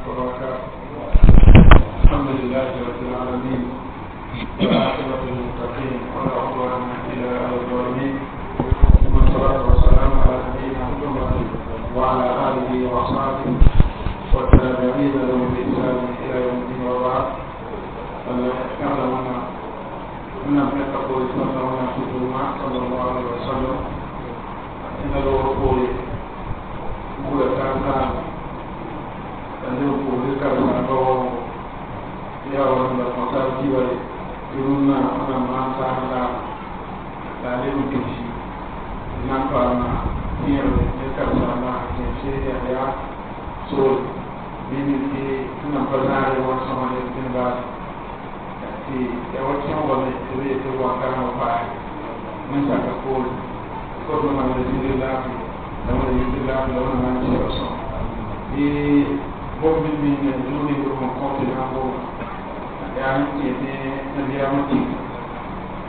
وبركاته. الحمد لله رب العالمين، والعاقبة للمتقين، ولا عدوان إلا على الظالمين، والصلاة والسلام على نبينا محمد وعلى آله وأصحابه والتابعين لهم بإحسان إلى يوم الدين، وبعد. يعلمون أن يتقوا صلى الله عليه وسلم إن له gura ta ta ne ko ne ka na ba ya wa na ko ta ji ba irun na ana ma ta ta ta ne mu ki na pa na ni ne ka na na ke se ya ya so bi ni ki na pa na re wa sa ma ne tin ba ti ya wa ki wa ne ti te wa ka na pa ne sa ka ko ko ma ne ti la la wẽnna yɩ laafɩ la wẽnna maan sɛb sõm tɩ bõmb min zũuni b sẽn kõ tɩ na n goma yaa n kẽ tɩ nabiyaamã tik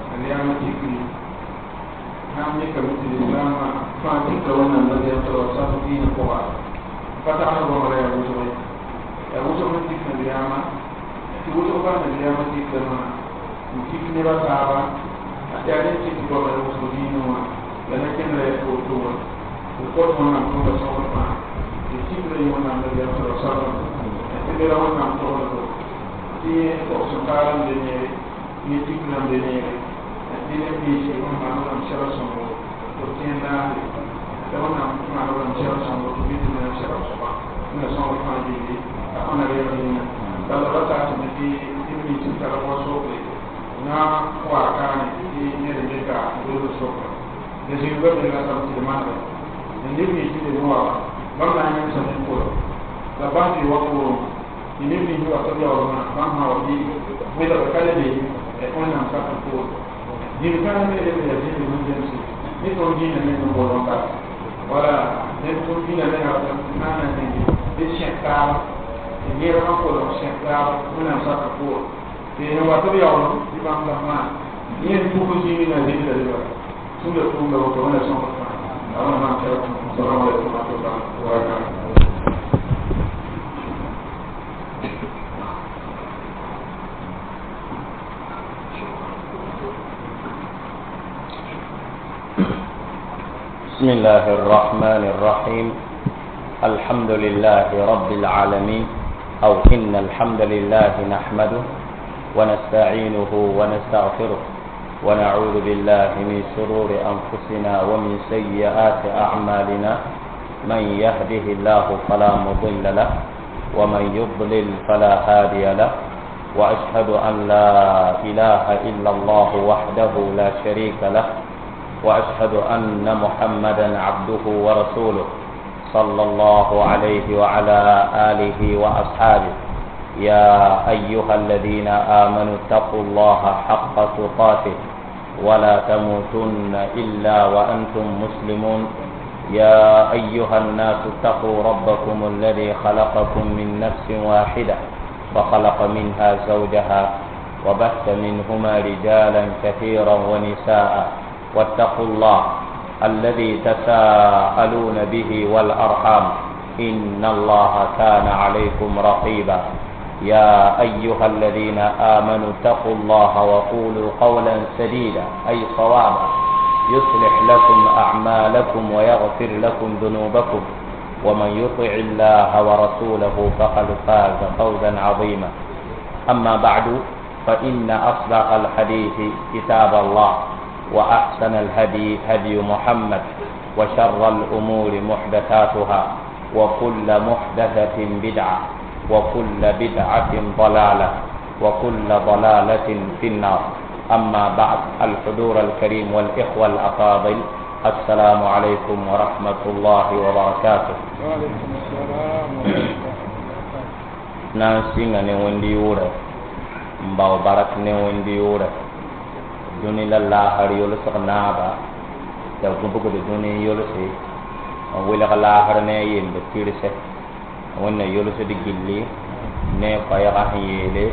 nabiyaamã tikri sãn mikame tɩ lislaamã fãa tikra wẽnnaam nabiyaam t'a sal dĩinã pʋga pa tagl bõmb ra yaa wʋsg ye yaa wʋsg n tik nabiyaamã tɩ wʋsg baa nabiyaamã tikrame n tik neba taaba yaa rẽ tɩ tɩ goama wʋsg dĩinã wã la na kẽndra yaa to-to wã ko wẽnnaam tõnda sõgd fãa tɩ tikra yẽ wẽnnaam nabiyaam sa sallam tɩ nera wẽnnaam togl tɩ togs n taal n be neere ne tikra n be neere tɩ neb ninsẽ wẽn maan wẽnnaam sɛba sõngo tɩ b tẽen naasre la wẽnnaam maan wẽnnaam sɛba sõngo tɩ bɩ tɩ wẽnnaam sɛba soaba wẽnna sõgd fãa gilli a fãa na reeg yĩnga bala ra taasame tɩ neb nins n tara wa sokre na wa kaane tɩ ned n dɩka wilg sokra la zĩnga me ratame tɩ d manega neb nins tɩ d wa bãmb na n yẽmsa ne pʋrã la bãmb tɩ wa pʋʋrẽ tɩ neb nins wa tɩ b yaoolmã bãmb sã wa bɩ wẽlgd ka le be wẽnnaam sak n pʋʋr dĩm kãngã me rem yaa zĩnd sẽn zemse ne tõnd dĩinã meng n bool n bara wala neb tõnd dĩinã menga sã n na zĩndi d sẽk taaba tɩ nergã kolg sẽk taaba wẽnnaam sak n pʋʋr tɩ sẽn wa tɩ b yaoolem tɩ bãmb la maan yẽ pʋg zĩig na zĩnda reba tũnda tʋʋmda woto wẽnna sõgd fãa السلام عليكم ورحمة الله وبركاته. بسم الله الرحمن الرحيم. الحمد لله رب العالمين، أو إن الحمد لله نحمده ونستعينه ونستغفره ونعوذ بالله من شرور أنفسنا ومن سيئات أعمالنا. من يهده الله فلا مضل له ومن يضلل فلا هادي له، وأشهد أن لا إله إلا الله وحده لا شريك له، وأشهد أن محمدا عبده ورسوله صلى الله عليه وعلى آله وأصحابه. يا أيها الذين آمنوا اتقوا الله حق تقاته ولا تموتن إلا وأنتم مسلمون. يا أيها الناس اتقوا ربكم الذي خلقكم من نفس واحدة وخلق منها زوجها وبث منهما رجالا كثيرا ونساء، واتقوا الله الذي تساءلون به والأرحام إن الله كان عليكم رقيبا. يا أيها الذين آمنوا اتقوا الله وقولوا قولا سديدا أي صوابا يصلح لكم أعمالكم ويغفر لكم ذنوبكم، ومن يطع الله ورسوله فقد فاز فوزا عظيما. أما بعد، فإن أصدق الحديث كتاب الله، وأحسن الهدي هدي محمد، وشر الأمور محدثاتها، وكل محدثة بدعة، وكل بدعة ضلالة، وكل ضلالة في النار. أما بعد، الحضور الكريم والإخوة الأفاضل، السلام عليكم ورحمة الله وبركاته. وعليكم السلام ورحمة الله وبركاته. نانسي ne wendi yʋʋrɛ n bao barak ne wendi yʋʋrɛ dũni la laasr yʋlsg naaba t'a gũbgd dũni n yʋlse n welg laasr ne a yemb pirsɛ wẽnna yʋlsd gilli ne a koɛɛgã sẽn yeele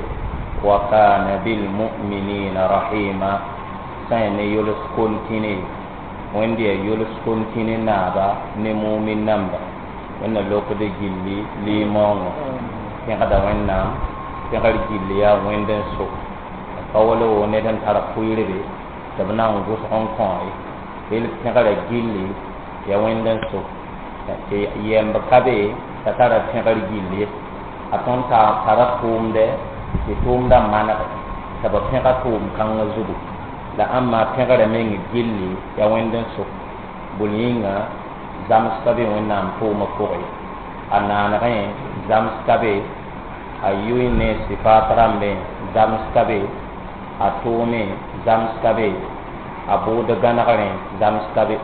wa kana bilmuminina rahima sã n ne yʋls kontine wẽnd yaa yʋls kontine naaba ne mumin namba wẽnna lokd gilli limaoongõ. Pẽgda Wẽnnaam pẽgr gill yaa Wẽnd n so pa wala wo ned n tar pʋɩɩrbe tɩ b na n gʋsg n kõ ye rel pẽgrã gilli ya Wẽnd n so tɩ yɛmb ka be t'a tara pẽgr gill ye a tõnd tara tʋʋmdɛ tɩ tʋʋmdã manege tɩ b pẽga tʋʋm kãngã zugu la ãmba pẽgrã meng gilli ya Wẽnd n so bol yĩnga zams ka be Wẽnnaam tʋʋmã pʋgẽ a naanegẽ zams ka be a yʋɩ ne sɩfaat rãmbẽ zams ka be a tʋʋme zams ka be a bʋʋd gãnegrẽ zams ka be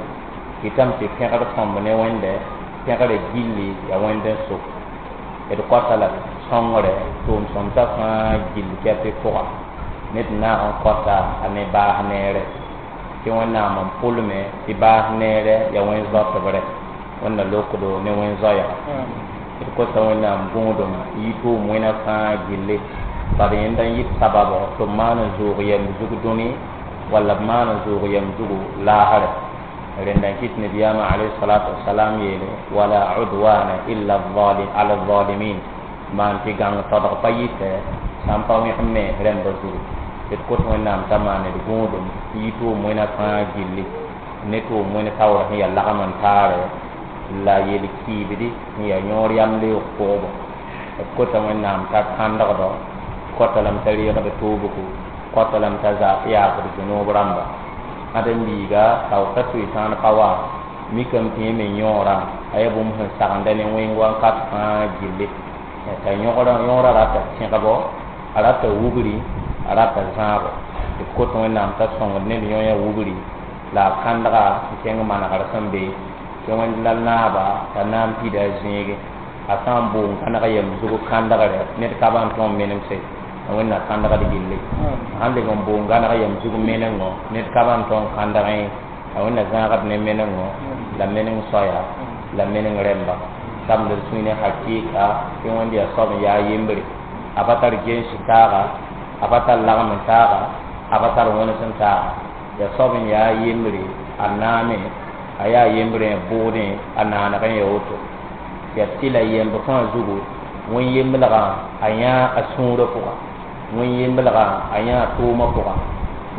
kɩtame tɩ pẽgr sõmb ne Wẽnde pẽgrã gilli ya Wẽnd n so d kõta la sõngre tʋʋm sõmsã fãa gill kɛpɩ pʋga ned naag n kõta a ne baas neere tɩ Wẽnnaam n pʋlme tɩ baas neere ya wẽn-zoatbrɛ Wẽnna lokdo ne wẽn-zoɛɛga d kosa Wẽnnaam gũudum yi tʋʋm wẽna fãa gilli bad yẽnda n yɩt sababo tɩ b maan n zʋʋg yɛm zug dũni walla b maan n zʋʋg yɛm zugu laasrɛ rẽnda n kɩt nabiyaamã alayhi salatu wasalam yeele wala udwana illa ala zalimin maan tɩ gãng todg pa yɩtɛ sã n pa wẽg me rẽmba zugu d kot Wẽnnaam t'a maan d gũudum yi tʋʋm wẽna fãa gilli ne tʋʋm wẽn taoor sẽn yaa lagm n taare la yel-kiibdi sẽn yaa yõor yam leoog pʋgbo d kota Wẽnnaam t'a kãndgdɔ kota lame t'a reegd toobgo kota lame t'a yaafd zũnoob rãmba ãdem-biiga taoor t'a soe-sãan pa wa mikame tɩ yẽ me yõorã a yaa bũmb sẽn sagenda ne wẽng wakat fãa gilli t'a yõorã rata tẽgbo a rata wubri a rata zãabo d kot Wẽnnaam t'a sõngd ned yõ ya wubri la a kãndga n kẽng manegr sẽn be tɩ Wẽnd la naaba t'a na n pida a zẽege a sã n boong kãneg yem zug kãndgre ned ka ban tõe n menemse Wẽnna kãndgd gilli sãn leb n boong gãneg yem zug menengo ned ka ban tõe n kãndgẽ a Wẽnna zãagd ne menengo la meneng soaya la meneng rẽmba tabl d sũy ne hakɩɩka tɩ Wẽnd yaa soab n yaa yembre a pa tar gens taaga a pa tar lagm n taaga a pa tar wẽns n taaga yaa soab n yaa yembre a naame a yaa yembrẽ bʋʋdẽ a naanegẽ ya woto yaa tɩ la yemb fãa zugu wẽn-yemblgã a yãa a sũurã pʋga wẽn-yemblgã a yãa tʋʋmã pʋga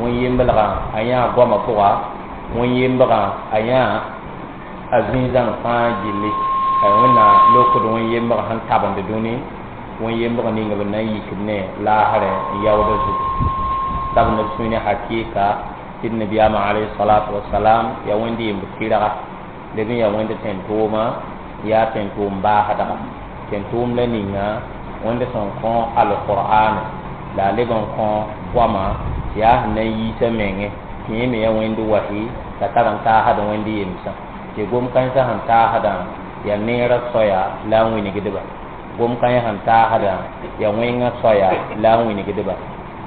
wẽn-yemblgã a yãa goamã pʋga wẽn-yemblgã a yãa a zĩig-zãng fãa gilli Wẽnna lokd wẽn-yembg sẽn tabend dũni wẽn-yembg ning b na n yikd ne laasrɛ n yaoodã zugu tab neb sũy ne hakɩɩka tɩ d nabiyaamã alayhi salatu wasalam yaa Wẽnd yemb tɩrga leb n yaa Wẽnd tẽn-tʋʋma yaa tẽn-tʋʋm baasdga tẽn-tʋʋm la ninga Wẽnd sẽn kõ alqur'an la a leb n kõ goamã tɩ yaa sẽn na n yiisa menge tɩ yẽ me yaa Wẽnd wahi la tar n taasd Wẽnd yemsã tɩ gom-kãensã sẽn taasdã yaa neerã soaya la a wĩnigdba gom-kãens sẽn taasdã yaa wẽngã soaya la a wĩnigdba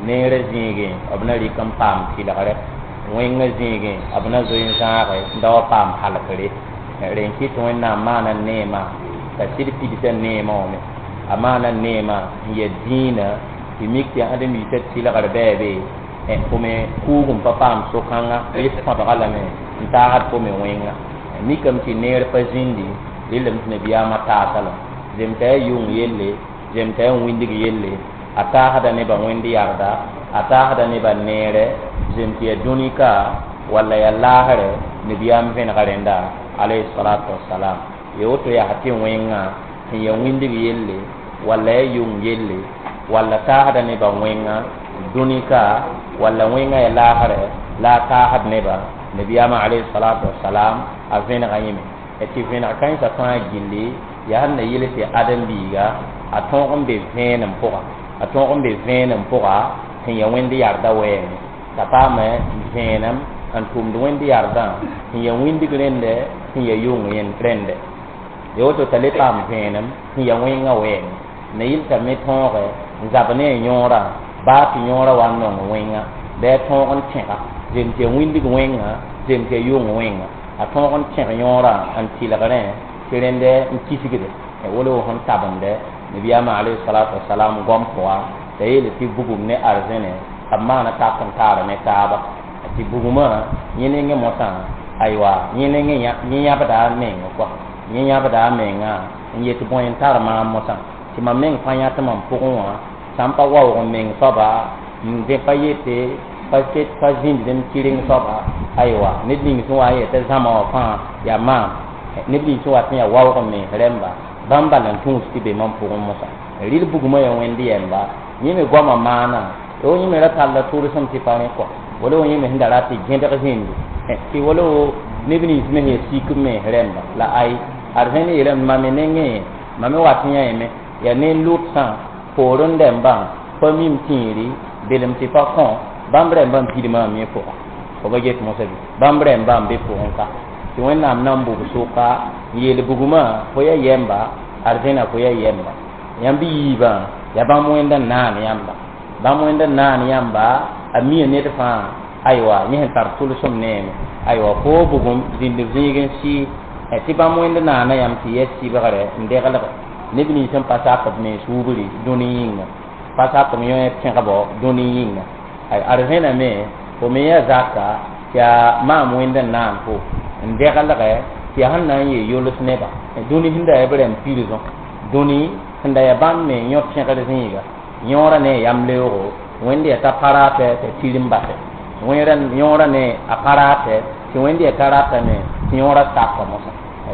neerã zĩigẽ b na rɩk n paam tɩlgre wẽngã zĩigẽ b na zoe n zãage n da wa paam halkre rẽn kɩt Wẽnnaam maana neemã t'a sɩd pidsa neemã wã me a maana neemã n ya dĩinã tɩ mik tɩ ãdem-biisã tɩlgr bɛɛbe fo me kuug n pa paam so-kãnga rɩ põdga lame n taasd fo me wẽnga mikame tɩ neer pa zĩndi rɩlem tɩ nabiyaamã taasa lame zemta yaa yʋng yelle zemta yaa wĩndg yelle a taasda nebã Wẽnd yarda a taasda nebã neere zem tɩ yaa dũni ka walla yaa laasrɛ nabiyaam vẽnega rẽnda alayhi salatu wasalam ya woto yaa tɩ wẽngã sẽn yaa wĩndg yelle walla yaa yʋng yelle walla taasda nebã wẽnga dũni ka walla wẽngã yaa laasrɛ la a taasd nebã nabiyaamã alayhi salatu wasalam a vẽnega yẽme tɩ vẽneg kãensã fãa gilli yaa sẽn na yɩl tɩ ãdem-biiga a tõog n be vẽenem pʋga a tõog n be vẽenem pʋga sẽn yaa Wẽnd yarda wɛɛngẽ t'a paame vẽenem n tʋmd Wẽnd yardã sẽn yaa wĩndg rẽndɛ sẽn yaa yʋng rẽndɛ ya woto t'a le paam vẽenem sẽn yaa wẽngã wɛɛngẽ na yɩl t'a me tõoge n zab ne a yõorã baa tɩ yõorã wa n nong wẽnga bɩ a tõog n tẽga zem tɩ yaa wĩndg wẽnga zem tɩ yaa yʋng wẽnga a tõog n tẽg yõorã n tɩlgrẽ tɩ rẽndɛ n kisgde wala wo sẽn tabende nabiyaamã alayhi salatu wasalam goam pʋga t'a yeele tɩ bugum ne arzẽne b maana tak n taara ne taaba tɩ bugumã yẽ nengẽ mosã aywa yẽ nengẽ yẽ yãbda a meng kɔa yẽ yãbda a menga n yet bõe n tar maam mosã Tɩ mam meng pa yãt mam pʋgẽ wã sã n pa waoog n meng soaba n dẽ pa yete pa ket pa zĩnd m kɩreng soaba aywa ned ning sẽn wa n yetɩ zãma wã fãa yaa maam neb nins sẽn wat n yaa waoog n mens rẽmba bãmb bala n tũus tɩ be mam pʋgẽ mosã rɩl bugmã yaa wẽnd yɛmba yẽ me goamã maana yo yẽ me ra talla tʋlsem tɩ pa rẽ kɔ wala wo yẽ me sẽn da rat tɩ gẽdg zĩndi tɩ wala wo neb nins me sẽn yaa sik n mens rẽmba la ay ad sẽn yeelame mam me nengẽ mam me wat n yãeme yaa ne lʋtsã poorẽ rẽmbã pa mim tĩiri belem tɩ pa kõ bãmb rẽmbã n pid maam yẽ pʋga fo ba get mosã bɩ bãmb rẽmbã n be pʋgẽ ka tɩ wẽnnaam na n bug sʋka n yeel bugmã fo ya yɛmba arzẽna fo ya yɛmba yãmb yiibã yaa bãmb wẽnd n naan yãmba bãmb wẽnd n naan yãmba a mia ned fãa aywa yẽ sẽn tar tʋlsem neeme aywa fo bugum zĩnd zĩig n sɩ tɩ bãmb wẽnd naana yãmb tɩ yɛ sɩbgre n deglg neb nins sẽn pa sak b mens wubri dũni yĩnga pa sak b yõ pẽgbo dũni yĩnga arzẽna me fo me yaa zaka tɩ yaa maam wẽnd n naan fo n deglgɛ tɩ yaa sẽn na n yee yols neba dũni sẽn da yaa b rẽmb pirsõ dũni sẽn da yaa bãmb me yõ pẽgr zĩiga yõorã ne yam leoogo wẽnd yaa t'a pa raatɛ t'a tirim basɛ yõorã ne a pa raatɛ tɩ wẽnd yaa t'a ratame tɩ yõorã saka mosã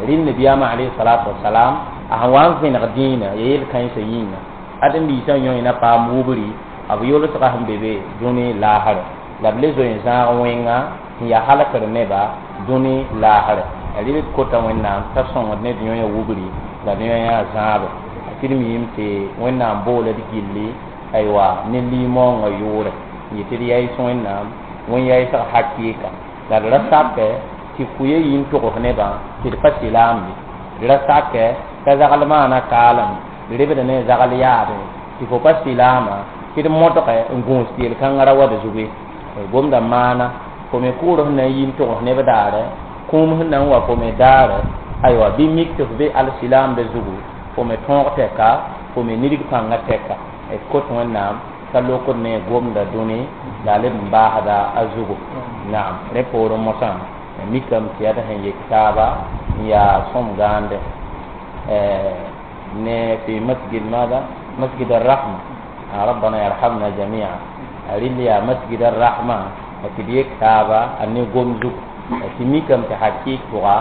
rɩl nabiyaamã alayhi salatu wasalam a sẽn wa n vẽneg dĩinã ya yel-kãensã yĩnga ad n liisã yõ na paam wubri b yolsga sẽn be be dũni laasrɛ la b le zoe n zãag wẽnga n yaa halkr neba dũni laasrɛ rɩl d kota wẽnnaam t'a sõngd ne d yõ ya wubri la d yõ ya zãabe tɩ d miime tɩ wẽnnaam boola d gilli aywa ne limõongã yʋʋre n yetɩ d yaɩs wẽnnaam wẽn yaɩsg hakɩɩka la d ra sakɛ tɩ kuya yi n togs nebã tɩ d pa sɩlaambe d ra sakɛ t'a zagl maana kaalem d rebd ne zagl yaade tɩ fo pa sɩlaama tɩ d modgɛ n gũus tɩ yel-kãngã ra wa d zugu ye gomda maana fo me kʋʋr sẽn na n yi n togs neb daare kũum sẽn na n wa fo me daare aywa bɩ mik tɩ f be alsilaamda zugu fo me tõog tɛka fo me nidg pãngã tɛka d kot wẽnnaam t'a lokd ne gomda dũni la a leb n baasda a zugu naam rẽ poorẽ mosã mikame tɩ yaa d sẽn yek taaba n yaa sõm gãande ne fi masjid ماذا مسجد الرحمة ربنا يرحمنا جميعا rɩl yaa masjid الرحمة tɩ d yek taaba a ne gom zugu tɩ mikame tɩ hakɩɩk pʋga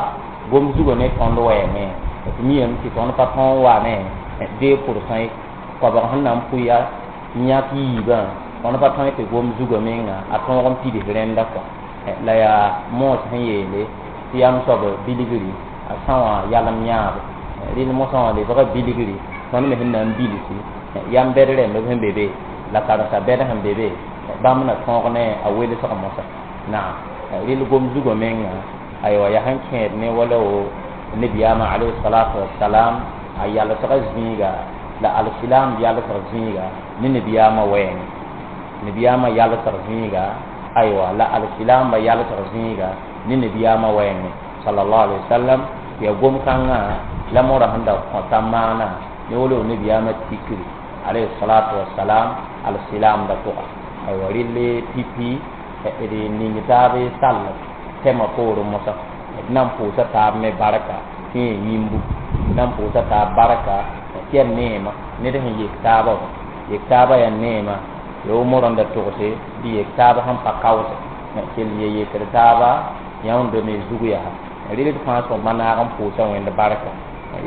gom zugã ne tõnd wɛɛngẽ tɩ miyame tɩ tõnd pa tõog wa ne 2% ye koabg sẽn na n pʋya n yãk yiibã tõnd pa tõe tɩ gom zugã menga a tõog n pids rẽnda kɔ la yaa moos sẽn yeele tɩ yam soab bilgri a sã wã yalem yãabe rɩl mosã wã lebga bilgri tõnd me sẽn na n bilsi yam bɛd rẽmb sẽn be be la karen-sa bɛd sẽn be be bãmb na tõog ne a welsg mosã naam rɩl gom zugã menga aywa yaa sẽn kẽed ne wala wo nabiyaamã alayhi salatu wasalam a yalsga zĩiga la alsilam yalsg zĩiga ne nabiyaamã wɛɛngẽ nabiyaamã yalsg zĩiga aywa la alsilamba yalsg zĩiga ne nabiyaamã wɛɛngẽ sallallahu alaihi wasallam ya gom kãngã la mora sẽn da kõta maana ne wala wo nabiyaamã tikri alayhi salatu wasalam alsilamda pʋga aywa rɩl pipi d ning taab sall tɛmã poorẽ mosã d na n pʋʋsa taab me barka tɩ yẽ yĩmbu d na n pʋʋsa taab barka tɩ yaa neema ned sẽn yek taabã wã yek taabã yaa neema ya wo morã da togse tɩ yek taab sẽn pa kaoose kell ye yekd taaba yãwndo me zug yaa rɩl d fãa sõma naag n pʋʋsa wẽnd barka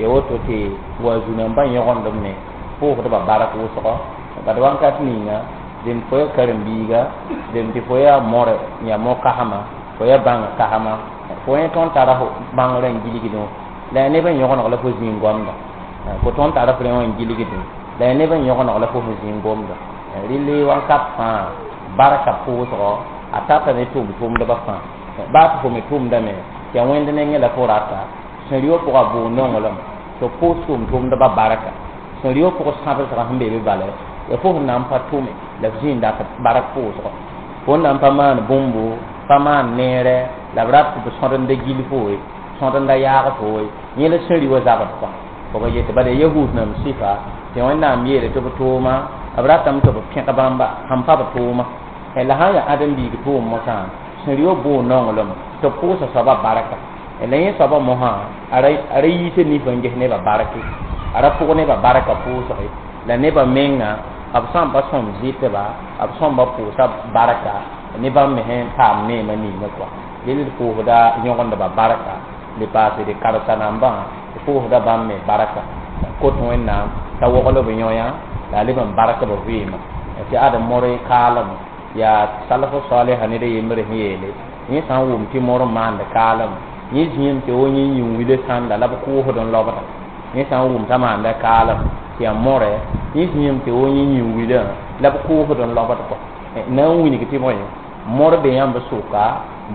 ya woto tɩ wa zu-nambã yõgendb me pʋʋsdba bark wʋsgɔ bad wãnkat ninga dẽnd fo ya karen-biiga dẽnd tɩ fo yaa more yaa mo-kasma fo ya bãng kasma fo yẽ tõnd tara bãngrã n gilgdẽ la yaa neb n yõgeneg la fo zĩig goamda fo tõnd tara f rẽ wã n gilgdẽ la yaa neb n yõgeneg la fo sẽn zĩig gomda rɩl wãnkat fãa barka pʋʋsgɔ a tata ne tʋʋm-tʋʋmdbã fãa baa tɩ fo me tʋʋmdame tɩ yaa wẽnd nengẽ la fo rata sẽn rɩ pʋga bʋʋg nonglem tɩ pʋʋs tʋʋm-tʋʋmdbã barka sẽn rɩ pʋg sãbsgã sẽn be be bala ya fo sẽn na n pa tʋme la f zĩig dat bark pʋʋsgɔ fo n na n pa maan bũmbu pa maan neerɛ la b rat tɩ b sõdenda gil fo ye sõdenda yaag fo ye yẽ la sẽn rɩ wa zabd kɔ fo ba yetɩ bala yahud nam sɩfa tɩ wẽnnaam yeele tɩ b tʋʋma b ratame tɩ b pẽg bãmba sẽn pa b tʋʋma la sã n yaa ãdem-biig tʋʋm mosã sẽn rɩ wa bʋʋg nonglem tɩ b pʋʋsa soabã barka la yẽ soabã mosã a ra yiisa nif n ges nebã barke A ra pʋg nebã barka pʋʋsge la nebã menga b sã n pa sõm zɩtba, b sõmba pʋʋsa barka ne bãmb me sẽn paam neemã ninga kɔa. Rel d pʋʋsda yõgendbã barka, le paasd karsa nambã d pʋʋsda bãmb me barka. Kot Wẽnnaam t'a wogl b yõ-yã la a leb n bark b vɩɩmã. Tɩ ad more kaalem yaa salf salha ned a yembr sẽn yeele yẽ sã n wʋm tɩ mor n maand kaalem, yẽ zĩem tɩ wo yẽ yĩn-wila sãnda la b kʋʋsd n lobda. Yẽ sã n wʋm t'a maanda kaalem tɩ yaa more, yẽ zĩem tɩ wo yẽ yĩn-wilã la b kʋʋsd n lobd kɔ. Na n wilg tɩ bõe mor be yãmb sʋka,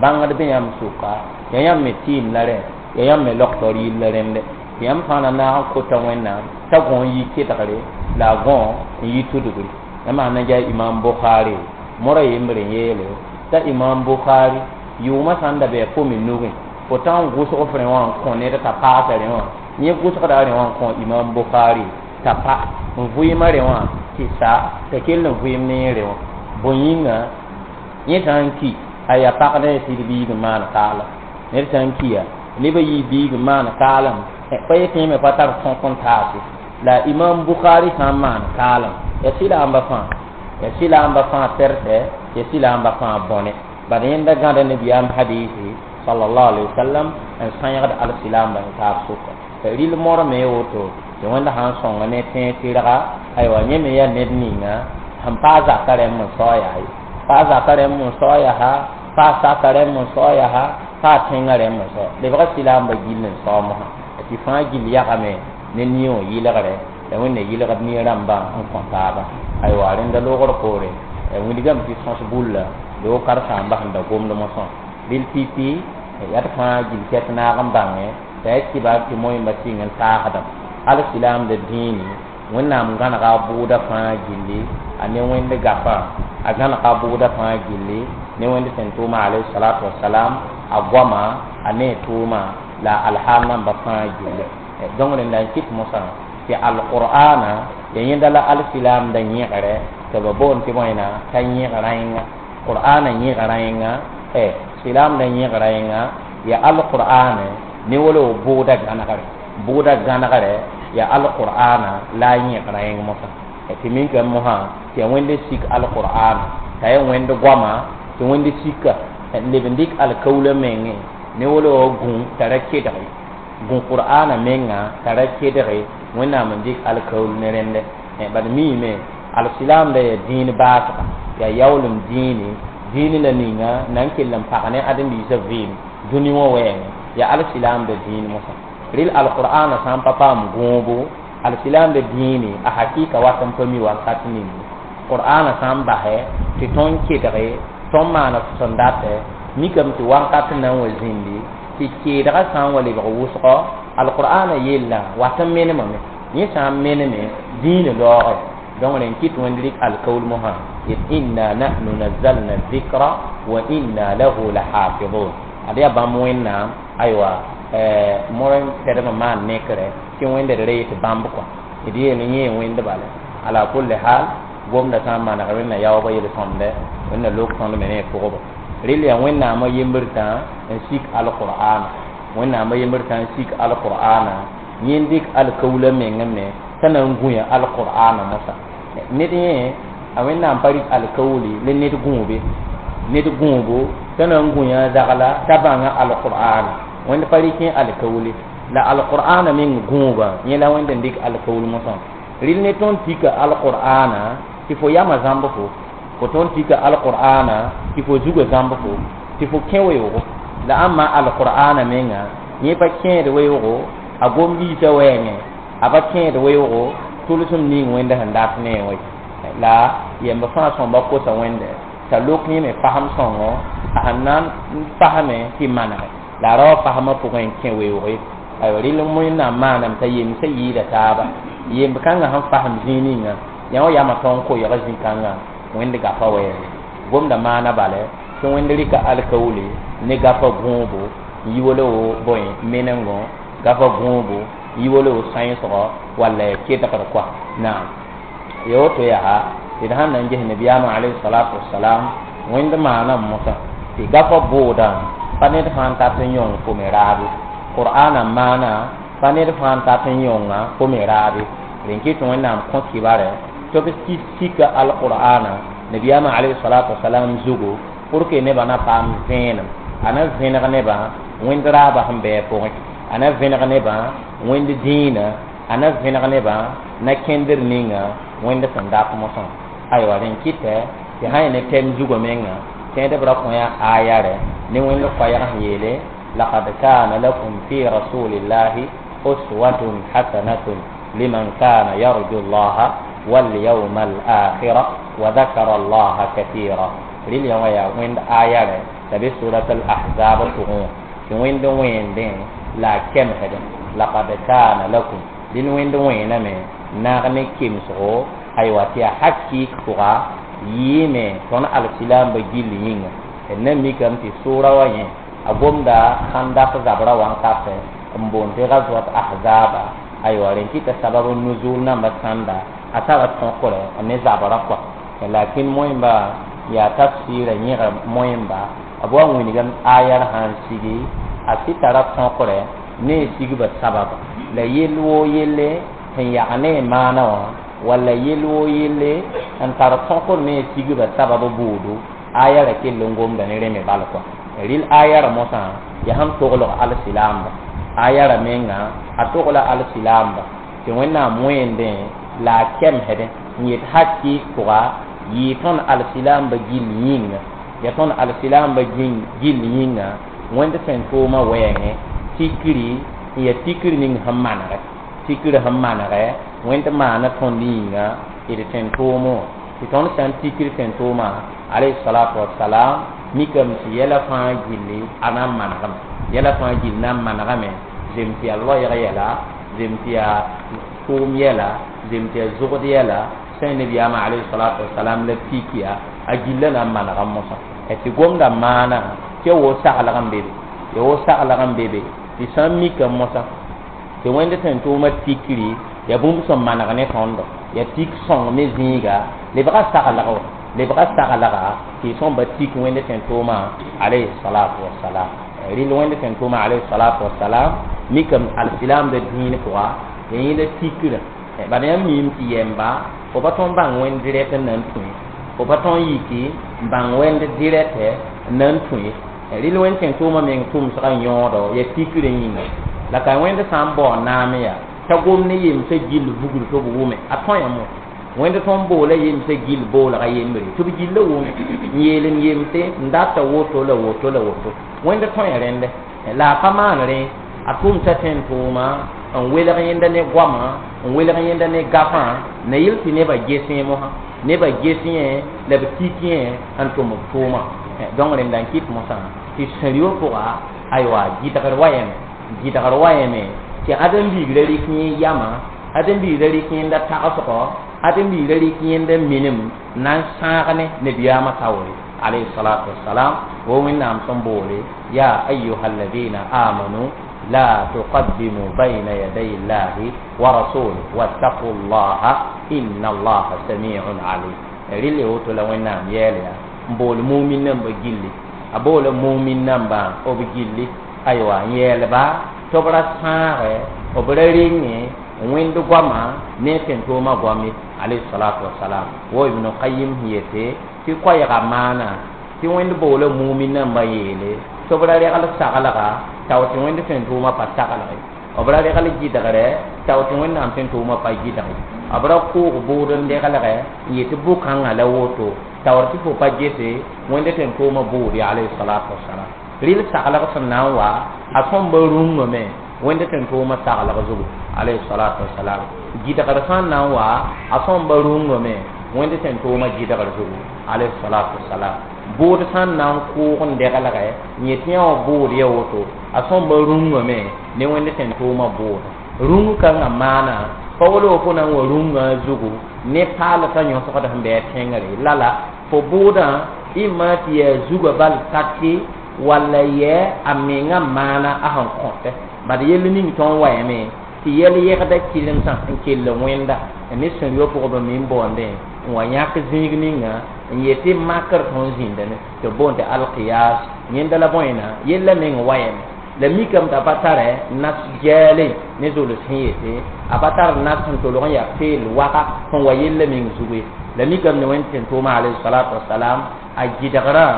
bãngd be yãmb sʋka, yaa yãmb me tɩɩm la rẽ, yaa yãmb me logtr yill la rẽnde. Tɩ yãmb fãa na naag n kota Wẽnnaam t'a gõ n yi kedgre la a gõ n yi tudgre. La maan na yaa Imam Bukhari mora yembr n yeele t'a Imam Bukhari yʋʋmã sã n da bɩ a fo me nugẽ, fo tã n gʋsg f rẽ wã n kõ ned t'a paasa rẽ wã, yẽ gʋsgda rẽ wã n kõ Imam Bukhari t'a pa n vɩɩmã rẽ wã tɩ sa t'a kell n vɩɩm ne yẽ rẽ wã. Bõe yĩnga yẽ sã n ki a yaa pag ne sɩd biig n maan kaalem. Ned sã n kiya nebã yɩ biig n maan kaalem, pa yetɩ yẽ me pa tar tõk n taase. La Imam Bukhari sã n maan kaalem ya sɩlaamba fãa, ya sɩlaamba fãa tɛrtɛ, ya sɩlaamba fãa bõne. Bad yẽnda gãda nabiyaam hadisi sallallahu alaihi wasallam n sãyegd al-silaamba n taab sʋka. Rɩl mor me woto tɩ Wẽnda sã n sõnga ne tẽeg tɩrga, aywa yẽ me yaa ned ninga sẽn paa zaka rẽmb n sao yaa ye, paa zaka rẽmb n sao yaa, paa saka rẽmb n sao yaa, paa tẽngã rẽmb n sao. Lebga sɩlaamba gill n sao mosã tɩ fãa gill yagame ne nie wã yɩlgre la Wẽnna yɩlgd nie rãmbã n kõ taaba. Aywa rẽnda loogr poore wilgame tɩ sõs bulla loog karen-saambã sẽn da gomd mosã. Rɩl pipi yaa d fãa gill kɛt naag n bãngẽ t'a yaa kibar tɩ moẽmba sɩng n taasdame. Al-silaamda dĩini Wẽnnaam gãnega a bʋʋda fãa gilli a ne Wẽnd gafã, a gãnega a bʋʋda fãa gilli ne Wẽnd sẽn tʋʋma alayhi salatu wasalam, a goama a ne tʋʋma la alhaal namba fãa gilli. Donc rẽnda n kɩt mosã tɩ alqur'ana ya yẽnda la al-silaamda yẽgre tɩ b boond tɩ bõena t'a yẽg rãenga. Qur'ana yẽg rãenga, silaamda yẽg rãenga ya alqur'ana ne wala bʋʋda gãnegre, bʋʋda gãnegre ya alqur'ana la yẽg rãeng mosã. Tɩ minkame mosã tɩ yaa Wẽnd sik alqur'ana, t'a yaa Wẽnd goama tɩ Wẽnd sika n leb n dɩk alkaoolã mengẽ ne wala wa gũ t'a ra kedge, gũ qur'ana menga t'a ra kedge Wẽnnaam n dɩk alkaool ne rẽnde. Bad miime al-silaamda yaa dĩin baasga, yaa yaoolem dĩini, dĩin la ninga na n kell n pag ne ãdem-biisã vɩɩm dũni wã wɛɛngẽ, yaa al-silaamda dĩin mosã. Rɩl alqur'ana sã n pa paam gõobo, al-silaamda dĩini a hakɩɩka wat n pa mi wakat ning. Qur'ana sã n basɛ tɩ tõnd kedge, tõnd maana sẽn datɛ mikame tɩ wakat na n wa zĩndi tɩ keedgã sã n wa lebg wʋsgɔ, alqur'ana yellã wat n menemame, yẽ sã n meneme dĩinã laoogɛ. Donc rẽn kɩt Wẽnd rɩk alkaool mosã yet inna nahnu nazzalna dhikra wa inna lahu lahafidun. Ad yaa bãmb Wẽnnaam aywa mor n pɛdem n maan nekrɛ tɩ Wẽnd d ree tɩ bãmb kɔa d yeel yẽ Wẽnd bala. Ala kulli hal gomda sã n maneg Wẽnna yaoobã yel-sõmdɛ, Wẽnna lok tõnd me ne pʋgba. Rɩl yaa Wẽnnaamã yembr tã n sik alqur'ana, Wẽnnaamã yembr tã n sik alqur'ana, yẽ dɩk alkaoolã mengẽ me t'a na n gũya alqur'ana mosã. Ned yẽ a Wẽnnaam pa rɩk alkaoole la ned gũube, ned gũubo t'a na n gũya zagla t'a bãnga alqur'ana. Wẽnd pa rɩk yẽ alkaoole la alqur'ana meng gũubã yẽ la Wẽnd n dɩk alkaool mosã. Rɩl ne tõnd tika alqur'ana tɩ fo yamã zãmb fo tõnd tika alqur'ana tɩ fo zugã zãmb fo tɩ fo kẽ weoogo. La ãmba alqur'ana menga yẽ pa kẽed weoogo a gom-biisã wɛɛngẽ, a pa kẽed weoogo tʋlsem ning Wẽnd sẽn dat ne wã. La yemb fãa sõmba kosa Wẽnde t'a lok yẽ me fasem sõngo a sẽn na n fasme tɩ manege la a ra wa fasmã pʋgẽ n kẽ weooge. Aywa rɩl Wẽnnaam maaname t'a yemsã yɩɩda taaba, yemb kãngã sẽn fasem zĩig ninga yã wã yamã tõnd koɛɛg zĩ-kãngã Wẽnd gafa wɛɛngẽ. Gomda maana bala tɩ Wẽnd rɩka alkaoole ne gafa gũubo n yi wala wo bõe menengo, gafa gũubo n yi wala wo sãensgɔ walla ya kedgr kɔa. Naam, ya woto yaa tɩ d sãn na n ges nabiyaamã alayhi salatu wasalam Wẽnd maanam mosã tɩ gafa bʋʋdã pa ned fãa n tat n yõng fo me raabe. Qur'ana maana Pa ned fãa n tat n yõnga fo me raabe. Rẽn kɩ tɩ Wẽnnaam kõ kibare tɩ b sika alqur'ana nabiyaamã alayhi salatu wasalam zugu pour que nebã na paam vẽenem, a na vẽneg nebã wẽnd raabã sẽn bɩ a pʋgẽ, a na vẽneg nebã wẽnd dĩinã, a na vẽneg nebã na kẽndr ninga wẽnd sẽn dat mosã. Aywa, rẽn kɩtɛ tɩ sã yẽ ne tɛm zugã menga tẽedb ra kõ yaa aya rɛ ne wẽnd koɛɛg sẽn yeele laqad kana lakum fi rasulillahi uswatun hasanatun liman kana yarju llaha walyawma alakhira wa dhakara allaha kathira. Rɩl yã wã yaa wẽnd aya rɛ t'a be surat al ahzab pʋgẽ wã tɩ wẽnd wẽendẽ la a kemsdẽ laqad kana lakum dĩn wẽnd wẽename naag ne kemsgo. Aywa, tɩ yaa hakɩɩk pʋga yɩɩme tõnd alsilaambã gill yĩnga. D na mikame tɩ sʋʋra wã yẽ a gomda khandak zabra wã n kasɛ n boond tɩ gazwat ahzaba. Aywa, rẽn kɩta sabab n nuzul namba sãnda a tara tõkre ne zabra kɔa, lakin moẽmba yaa tafsɩɩra yẽga moẽmba b wa wilgem ayar sãn sigi a sɩ tara tõkre ne sigba sababa la yell woo yelle sẽn yag ne maana wã walla yell woo yelle n tar tõkr ne sigba sabab buudu aya ra kell n gomda ne rẽ me bal kɔa. Rɩl aya ra mosã yaa sẽn toglg alsilaamba aya ra menga a togla alsilaamba tɩ Wẽnnaam wẽendẽ la a kemsdẽ n yet hakɩɩk pʋga yɩɩ tõnd alsilaamba gill yĩnga, ya tõnd alsilaamba gill yĩnga wẽnd sẽn tʋʋmã wɛɛngẽ tikri n ya tikr ning sẽn manegɛ, tikr sẽn manegɛ wẽnd maana tõnd yĩnga d tẽn tʋʋmẽ wã tɩ tõnd sã n tikr tẽn tʋʋmã alayhi salatu wasalam mikame tɩ yɛla fãa gilli a na n manegame, yɛla fãa gill na n manegame, zem tɩ yaa loɛɛg yɛla, zem tɩ yaa tʋʋm yɛla, zem tɩ yaa zʋgd yɛla sẽn nebiyaamã alayhi salatu wasalam la pikiya a gilla na n manega mosã tɩ gomda maana tɩ ya woo saglg n be be, ya woo saglg n be be tɩ sã n mika mosã tɩ wẽnd sẽn tʋʋmã tikri ya bũmb sẽn maneg ne tõndo ya tik sõng me zĩiga lebga saglg wa, lebga saglga tɩ sõmba tik wẽnd sẽn tʋʋmã alayhi salatu wasalam. Rɩl wẽnd sẽn tʋʋmã alayhi salatu wasalam mikame alsilaamda dĩin pʋga ya yẽla tikrã bala yãmb miime tɩ yɛmba fo pa tõnd bãng wẽnd dirɛt n na n tũ, fo pa tõnd yiki n bãng wẽnd dirɛtɛ n na n tũ. Rɩl wẽnd sẽn tʋʋmã meng tʋmsgã yõodo ya tikrã yĩnga la ka wẽnd sã n bao naam yaa t'a gom ne yemsã gill vugr tɩ b wʋme a tõe mo wẽnd tõnd boola yemsã gill boolga yembre tɩ b gilla wʋme n yeel n yemse n data woto la woto la woto wẽnd tõe rẽndɛ la a pa maan rẽ a tʋmsa tẽn tʋʋma n welg yẽnda ne goamã n welg yẽnda ne gafã na yel tɩ nebã gesẽ mosã nebã ges yẽ la b tik yẽ n tʋm b tʋʋma. Donc rẽnda n kɩt mosã tɩ sẽn-yo pʋga aywa gɩdgr wa yẽme, gɩdgr wa yẽme tɩ ãdem-biig ra rɩk yẽ yamã, ãdem-biig ra rɩk yẽnda tagsgɔ, ãdem-biig ra rɩk yẽnda minem na n sãag ne nabiyaamã taoore alayhi salatu wasalam wo Wẽnnaam sẽn boole ya ayuha alladina amanu la tuqaddimu bayna yaday llahi wa rasulih wattaqu llaha inna allaha samiun alim. Rɩl ya woto la Wẽnnaam yɛɛl yaa n bool mumin nambã gilli, a boola mumin nambã b gilli aywa n yɛɛlba tɩ b ra sãagɛ b ra renge wẽnd goamã ne tẽn-toomã goam ye alayhi salatu wasalam. Wo Ibn Qayim sẽn yete tɩ koɛɛga maana tɩ wẽnd boola mumin nambã yeele tɩ b ra regl saglga tao tɩ wẽnd tẽn-toomã pa saglg ye, b ra regl gɩdgrɛ tao tɩ Wẽnnaam tẽn-toomã pa gɩdg ye, b ra koog bʋʋd n deglgɛ n yetɩ bʋ-kãngã la woto taoor tɩ fo pa gese wẽnd tẽn-toomã bʋʋd ye alayhi salatu wasalam. Rɩl saglg sẽn na n wa a sõmba rũngame wẽnd tẽn-toomã saglg zugu alayhi salatu wasalam, gɩdgr sã n na n wa a sõmba rũngame wẽnd tẽn-toomã gɩdgr zugu alayhi salatu wasalam, bʋʋd sã n na n kʋʋg n deglgɛ n yetɩ yã wã bʋʋd ya woto a sõmba rũngame ne wẽnd tẽn-toomã bʋʋd rũng kãngã maana pa wala fo na n wa rũngã zugu ne paalsã yõsgd sẽn bɩ a tẽngre lala fo bʋʋdã ɩma tɩ yaa zugã bal taki walla yɛ a menga maana a sẽn kõtɛ bad yell ning tõnd wayame tɩ yɛl yɛgda kɩremsã n kell wẽnda ne sẽn-yo pʋgb me n baoondẽ n wa yãk zĩig ninga n yetɩ makr tõnd zĩnda ne tɩ b boond tɩ alqiyas yẽnda la bõena yella meng wayame La mikame t'a pa tare nas gɛɛle ne zols sẽn yete a pa tar nas sẽn tolg n yaa feel waga sẽn wa yella meng zugu ye. La mikame ne Wẽnd tẽn tʋʋma alayhi salatu wasalam a gɩdgrã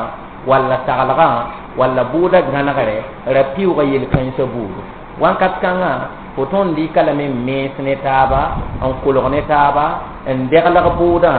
walla saglgã walla bʋʋda gãnegre ra pɩʋʋga yel-kãensã buudu. Wãnkat kãngã fo tõnd dɩka lame n mens ne taaba n kolg ne taaba n degleg bʋʋdã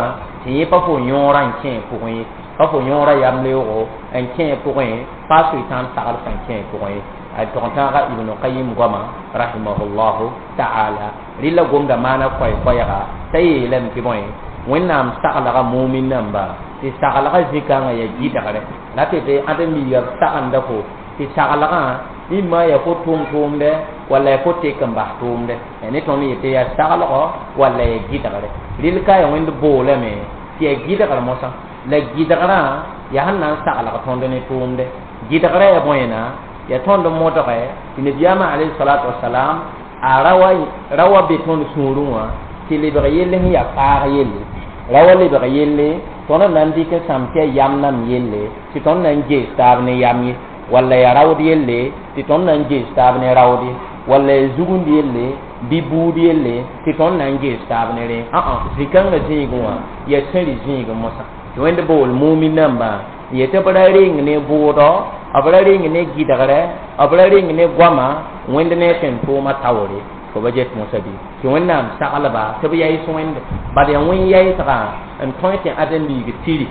tɩ yẽ pa fo yõorã n kẽ pʋgẽ ye, pa fo yõorã yamleoogo n kẽ pʋgẽ, pa soetãan sagl sẽn kẽ pʋgẽ ye. A tog-tãaga Ibn Qayim goama rahimahullahu ta'ala rɩla gomda maana koɛɛ-koɛɛga t'a yeelame tɩ bõe Wẽnnaam saglga mumin namba tɩ saglga zĩ-kãngã yaa gɩdgre la tɩ tɩ ãdem-biiga b sagenda fo tɩ saglgã imma yaa fo tʋʋm-tʋʋmdɛ walla yaa fo tek n bas tʋʋmdɛ ne tõnd yetɩ yaa saglgɔ walla yaa gɩdgre. Rɩl ka yaa Wẽnd boolame tɩ yaa gɩdgr mosã la gɩdgrã yaa sẽn na n saglg tõnd ne tʋʋmdɛ. Gɩdgrã yaa bõena yaa tõnd modge tɩ nabiyaamã alayhi salatu wasalam a rawa be tõnd sũurẽ wã tɩ lebg yelle sẽn yaa faag yelle, rawa lebg yelle tõnd na n dɩk n sãm tɩ yaa yam nam yelle tɩ tõnd na n gees taab ne yam ye, walla yaa raood yelle tɩ tõnd na n gees taab ne raood ye, walla yaa zugund yelle bɩ buud yelle tɩ tõnd na n gees taab ne rẽ. Zĩ-kãngã zĩigẽ wã yaa sẽri zĩigẽ mosã tɩ Wẽnd bool mumin nambã n yetɩ b ra reng ne bʋʋdɔ, b ra reng ne gɩdgrɛ, b ra reng ne goama Wẽnd ne tẽn tʋʋma taoore fo ba get mosã bɩ tɩ Wẽnnaam saglba tɩ b yaɩs Wẽnde bad yaa wẽn yaɩsgã n tõe tɩ ãdem-biig tiri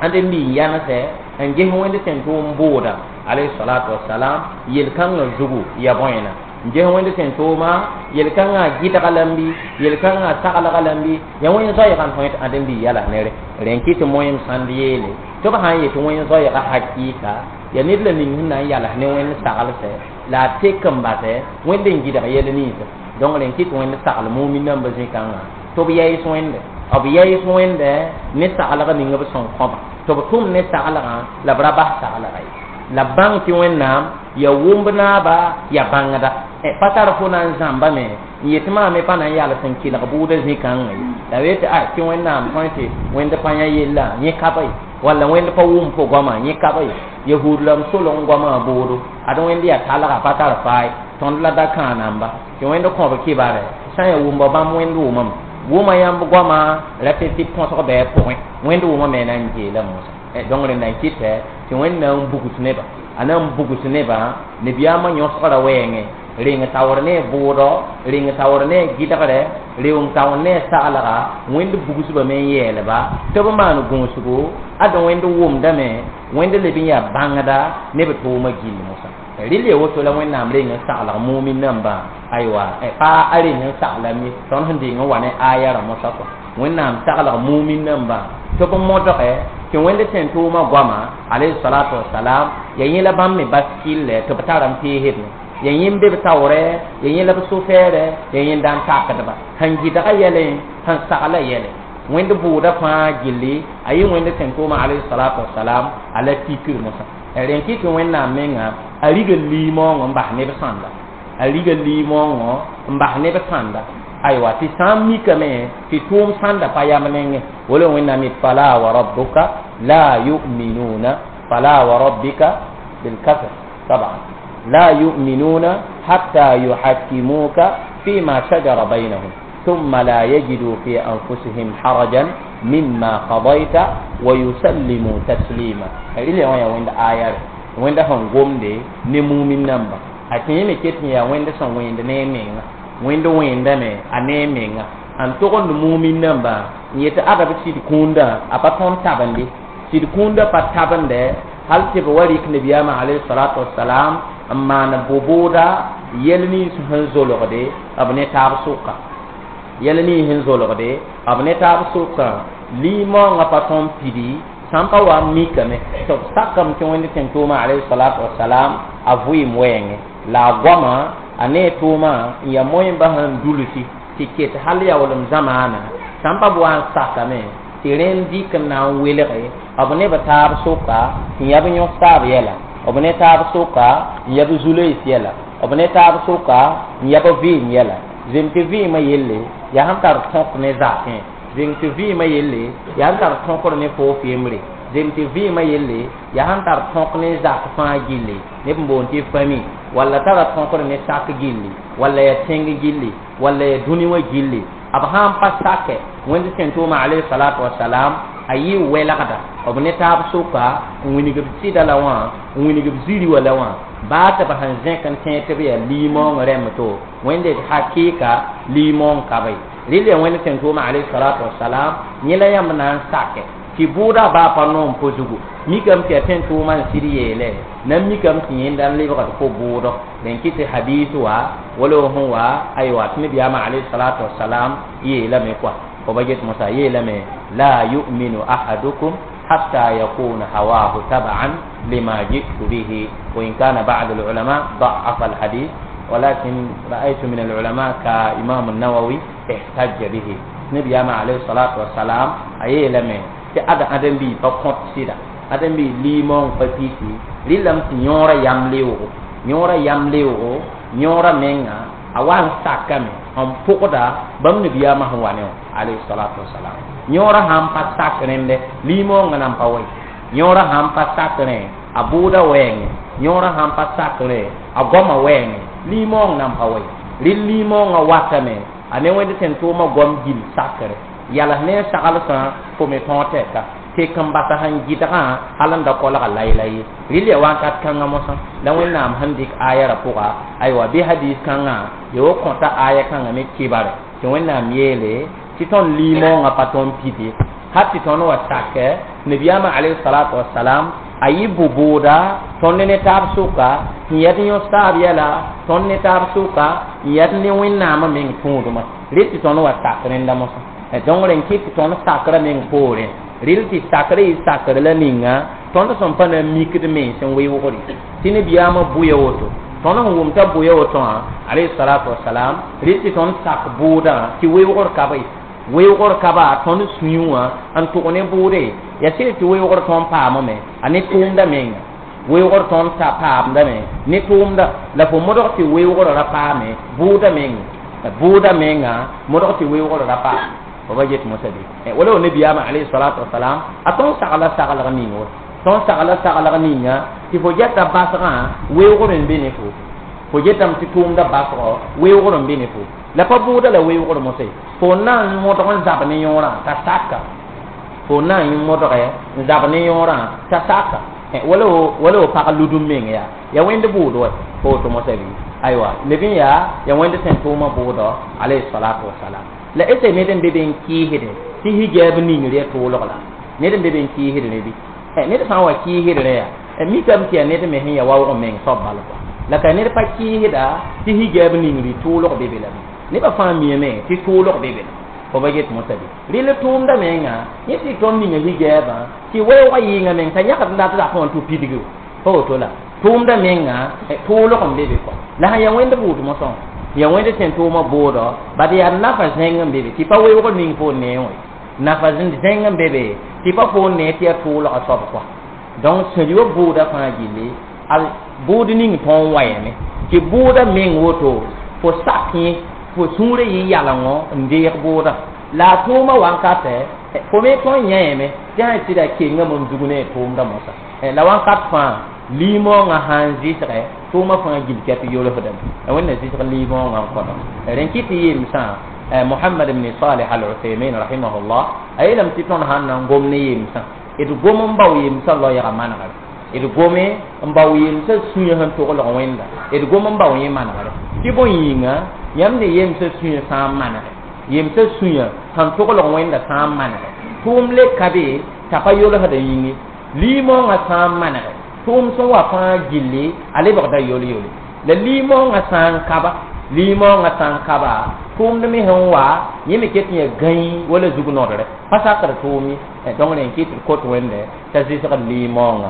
ãdem-biig yãnesɛ n ges Wẽnd tẽn tʋʋm bʋʋda alayhi salatu wasalam yel-kãngã zugu ya bõena n ges Wẽnd tẽn tʋʋma yel-kãngã gɩdga lambi yel-kãngã saglga lambi yaa wẽn zoɛɛgã n tõe tɩ ãdem-biig yala nere rẽn kɩ tɩ moẽm sãnd yeele tɩ b sã n yetɩ wẽn zoɛɛga hakɩɩka yaa ned la ning sẽn na n yals ne Wẽnd saglsɛ la a tek n basɛ Wẽnd n gɩdg yɛl ninsã. Donc rẽn kɩ tɩ Wẽnd sagl mumin nambã zĩ-kãngã tɩ b yaɩs Wẽnde, b yaɩs Wẽnde ne saglg ning b sẽn kõba tɩ b tʋm ne saglgã la b ra bas saglga ye la b bãng tɩ Wẽnnaam yaa wʋmb naaba yaa bãngda pa tar fo na n zãmbame n yetɩ maam me pa na n yals n kelg bʋʋda zĩ-kãngã ye la b yetɩ a tɩ Wẽnnaam tõe tɩ Wẽnd pa yã yella yẽ ka ba ye walla Wẽnd pa wʋm fo goamã yẽ ka ba ye yahud la m solg goamã bʋʋdo ad Wẽnd yaa talga pa tar faay tõnd la da kãa namba tɩ Wẽnd kõb kɩbarɛ sã n yaa wʋmba bãmb Wẽnd wʋmame wʋma yãmb goamã ra tɩ tɩ põsg bɩ a pʋgẽ Wẽnd wʋma me na n geela mosã. Donc rẽnd na n kɩtɛ tɩ Wẽnd na n bugs neba a na n bugs nebã nabiyaamã yõsgrã wɛɛngẽ reng taoor ne bʋʋdɔ, reng taoor ne gɩdgrɛ, reng taoor ne saglga Wẽnd bugsbame n yɛɛlba tɩ b maan gũusgo ad Wẽnd wʋmdame Wẽnd leb n yaa bãngda ne b tʋʋmã gill mosã. Rɩl ya woto la Wẽnnaam reng n saglg mumin nambã aywa pa a reng n saglame tõnd sẽn deng n wa ne aya rã mosã kɔa Wẽnnaam saglg mumin nambã tɩ b modge tɩ Wẽnd tẽn tʋʋmã goama alayhi salatu wasalam yaa yẽ la bãmb me bas kɩllɛ tɩ b tar n peesdme ya yẽmb be b taoorɛ ya yẽ la b so-fɛɛrɛ ya yẽnda n takdba sẽn gɩdga yɛlẽ sẽn sagla yɛlẽ Wẽnd bʋʋda fãa gilli a yɩ Wẽnd tẽn tʋʋmã alayhi salatu wasalam a la tikr mosã. Rẽn kɩ tɩ Wẽnnaam menga a riga liimoongõ n bas neb sãnda, a riga liimoongõ n bas neb sãnda aywa tɩ sã n mikame tɩ tʋʋm sãnda pa yam nengẽ wala Wẽnnaam yet fala wa rabbuka la yu'minuna fala wa rabbika bilkasr taban la yu'minuna hatta yuhakkimuka fima shajara baynahum thumma la yajidu fi anfusihim harajan mimma qadayta wa yusallimu taslima. Rɩla wã yaa Wẽnd aya Wẽnda sẽn gomde ne mumin namba a tɩ yẽ me ket n yaa Wẽnd sẽn wẽnd ne a menga Wẽnd wẽndame a ne a menga n togend mumin namba n yetɩ ada b sɩd kũundã a pa tõnd tabende sɩd kũundã pa tabende hal tɩ b wa rɩk nabiyaamã alayhi salatu wasalam n maan bʋbʋʋda yɛl nins sẽn zolgde b ne taab sʋka yɛl nins sẽn zolgde b ne taab sʋka liimoongã pa tõnd pidi sãn pa wa n mikame tɩ b sakame tɩ Wẽnd tẽn tʋʋmã alayhi salatu wasalam a vɩɩm wɛɛngẽ la a goamã a ne tʋʋmã n yaa moẽmbã sẽn dulsi tɩ ket hal yaoolem zamaana sãn pa b wa n sakame tɩ rẽnd dɩk n na n welge b ne b taab sʋka tɩ yã b yõs taab yɛla b ne taab sʋka n ya b zu-loees yɛla b ne taab sʋka n ya b vɩɩm yɛla zem tɩ vɩɩmã yelle yaa sẽn tar tõk ne zakẽ zeng tɩ vɩɩmã yelle yaa sẽn tar tõkr ne foos yembre Zem tɩ vɩɩmã yelle yaa sẽn tar tõk ne zak fãa gilli neb n boond tɩ fami walla tara tõkr ne sak gilli walla yaa tẽng gilli walla yaa dũni wã gilli b sãn pa sakɛ wẽnd tẽn-tʋʋma alayhi salatu wasalam a yɩ wɛlgda b ne taab sʋka n wilg b sɩda la wã n wilg b ziri wã la wã baa tɩ b sẽn zẽk n tẽeg tɩ b yaa liimoong rẽmb to wẽnde d hakɩɩka liimoong ka be rɩl yaa wẽnd tẽn-tʋʋma alayhi salatu wasalam yẽ la yãmb na n sakɛ tɩ bʋʋda baa pa noom fo zugu mikame tɩ yaa tẽn-tʋʋmã n sɩd yeele na n mikame tɩ yẽnda n lebgd fo bʋʋdɔ dẽn kɩ tɩ hadiis wa wala sẽn wa aywa tɩ nabiyaamã alayhi salatu wasalam yeelame kɔa fo ba get mosã yeelame la yuminu ahadukum حتى يكون هواه تبعا لما جئت به وإن كان بعض العلماء ضعف الحديث ولكن رأيت من العلماء كإمام النووي احتج به نبي عليه الصلاة والسلام أي لمن tɩ ad ãdem-biig pa kõt sɩda ãdem-biig liimoong pa pisi rɩlame tɩ yõorã yam leoogo yõorã yam leoogo yõorã menga a wa n sakame n pʋgda bãmb nabiyaamã sẽn wa ne wã alayhi salatu wasalam yõorã sãn pa sak rẽndɛ liimoongã nan pa wa yõorã sãn pa sak rẽ a bʋʋda wɛɛngẽ yõorã sãn pa sak rẽ a goamã wɛɛngẽ liimoong nan pa wa rɩl liimoongã watame a ne wẽnd tẽn-tʋʋmã goam gil sakre yals ne saglsã fo me tõog tɛka tɩ n basa sẽn gɩdgã hal n da kolga layla ye rɩl ya wakat kãngã mosã la wẽnnaam sẽn dɩk aya ra pʋga aywa bɩ hadis kãngã ya wo kõta aya kãngã me kibare tɩ wẽnnaam yeele tɩ tõnd liimoongã pa tõnd pid ye hal tɩ tõnd wa sakɛ nabiyaamã alayhi salatu wasalam a yɩ bʋ-bʋʋda tõnd ne taab sʋka n yɛd yõ saab yɛla tõnd ne taab sʋka n yɛd ne wẽnnaamã meng tũudmã rɩ tɩ tõnd wa sak rẽnda mosã donc rẽn kɩ tɩ tõnd sakrã meng poorẽ rɩl tɩ sakrã yɩ sakr la ninga tõnd sẽn pa na n mikd mens n weoogre tɩ nabiyaamã bʋya woto tõnd sẽn wʋm t'a bʋya woto wã alayhi salatu wasalam rɩl tɩ tõnd sak bʋʋdã tɩ weoogr ka be weoogr ka ba tõnd sũyẽ wã n tʋg ne bʋʋde yaa sɩd tɩ weoogr tõnd paamame a ne tʋʋmda menga weoogr tõnd ta paamdame ne tʋʋmda la fo modg tɩ weoogr ra paame bʋʋda menga bʋʋda menga modg tɩ weoogr ra paame fo ba get mosã bɩ wala nabiyaamã alayhi salatu wasalam a tõnd sagla saglg ning wa tõnd sagla saglg ninga tɩ fo geta basgã weoogr n be ne fo fo getame tɩ tʋʋmda basgɔ weoogr n be ne fo la pa bʋʋda la weoogr mosã fo na n modg n zab ne yõorã t'a saka fo na n modge n zab ne yõorã t'a saka wala wala pag ludum meng yaa ya wẽnd bʋʋd wa fo woto mosã bɩ aywa leb n yaa ya wẽnd sẽn tʋʋmã bʋʋdɔ alayhi salatu wasalam la ese ned n be be n kɩɩsdẽ tɩ hijaab ningr ya tʋʋlg la ned n be be n kɩɩsd ne bɩ ned sã n wa kɩɩsd rẽ yaa mikame tɩ yaa ned me sẽn ya waoog meng soab bal kɔa la ka ned pa kɩɩsda tɩ hijaab ningr tʋʋlg be be lame nebã fãa miame tɩ tʋʋlg be be la fo ba get mosã bɩ rɩl tʋʋmda menga yẽ tɩ tõnd ninga hijaabã tɩ weoogã yɩɩngã meng t'a yãgd n dat zakẽ wã tɩ pidg pa woto la tʋʋmda menga tʋʋlg n be be kɔa la sẽn yaa wẽnd bʋʋd mosã ya wẽnd tẽn-tʋʋmã bʋʋdɔ bad yaa nafa zẽng n be be tɩ pa weoogr ning fo nee wã nafa zẽng n be be tɩ pa fo nee tɩ yaa tʋʋlgã soab kɔa donc sẽn wa bʋʋda fãa gilli a bʋʋd ning tõnd wayame tɩ bʋʋda meng woto fo sak yẽ fo sũurã yɩ yalengo n deeg bʋʋda la a tʋʋmã wankatɛ fo me tõnd yãyame tɩ sã tɩ da kengame n zug ne a tʋʋmda mosã la wakat fãa liimoongã sãn zɩsgɛ tʋʋmã fãa gil ka tɩ yolsdame la wẽnna zɩsg liimoongã n kõdo rẽn kɩ tɩ yemsã Muhammad ibn Salih al-Uthaymin rahimahullah a yeelame tɩ tõnd sãn na n gom ne yemsã d gom n bao yemsã loɛɛgã manegre d gome n bao yemsã sũyã sẽn toglg wẽnda d gom n bao yẽ manegre tɩ bõe yĩnga yãmb ne yemsã sũyã sã n manege yemsã sũyã sẽn toglg wẽnda sã n manege tʋʋm le ka be t'a pa yolsda yĩnge liimoongã sã n manege tʋʋm sẽn wa fãa gilli a lebgda yol-yole la liimoongã sã n kaba liimoongã sã n kaba tʋʋmd me sẽn wa yẽ me ket n yaa gãi wala zug nodre pa sakd tʋʋm ye donc rẽn kɩ tɩ d kot wẽnde t'a zɩsgd liimoongã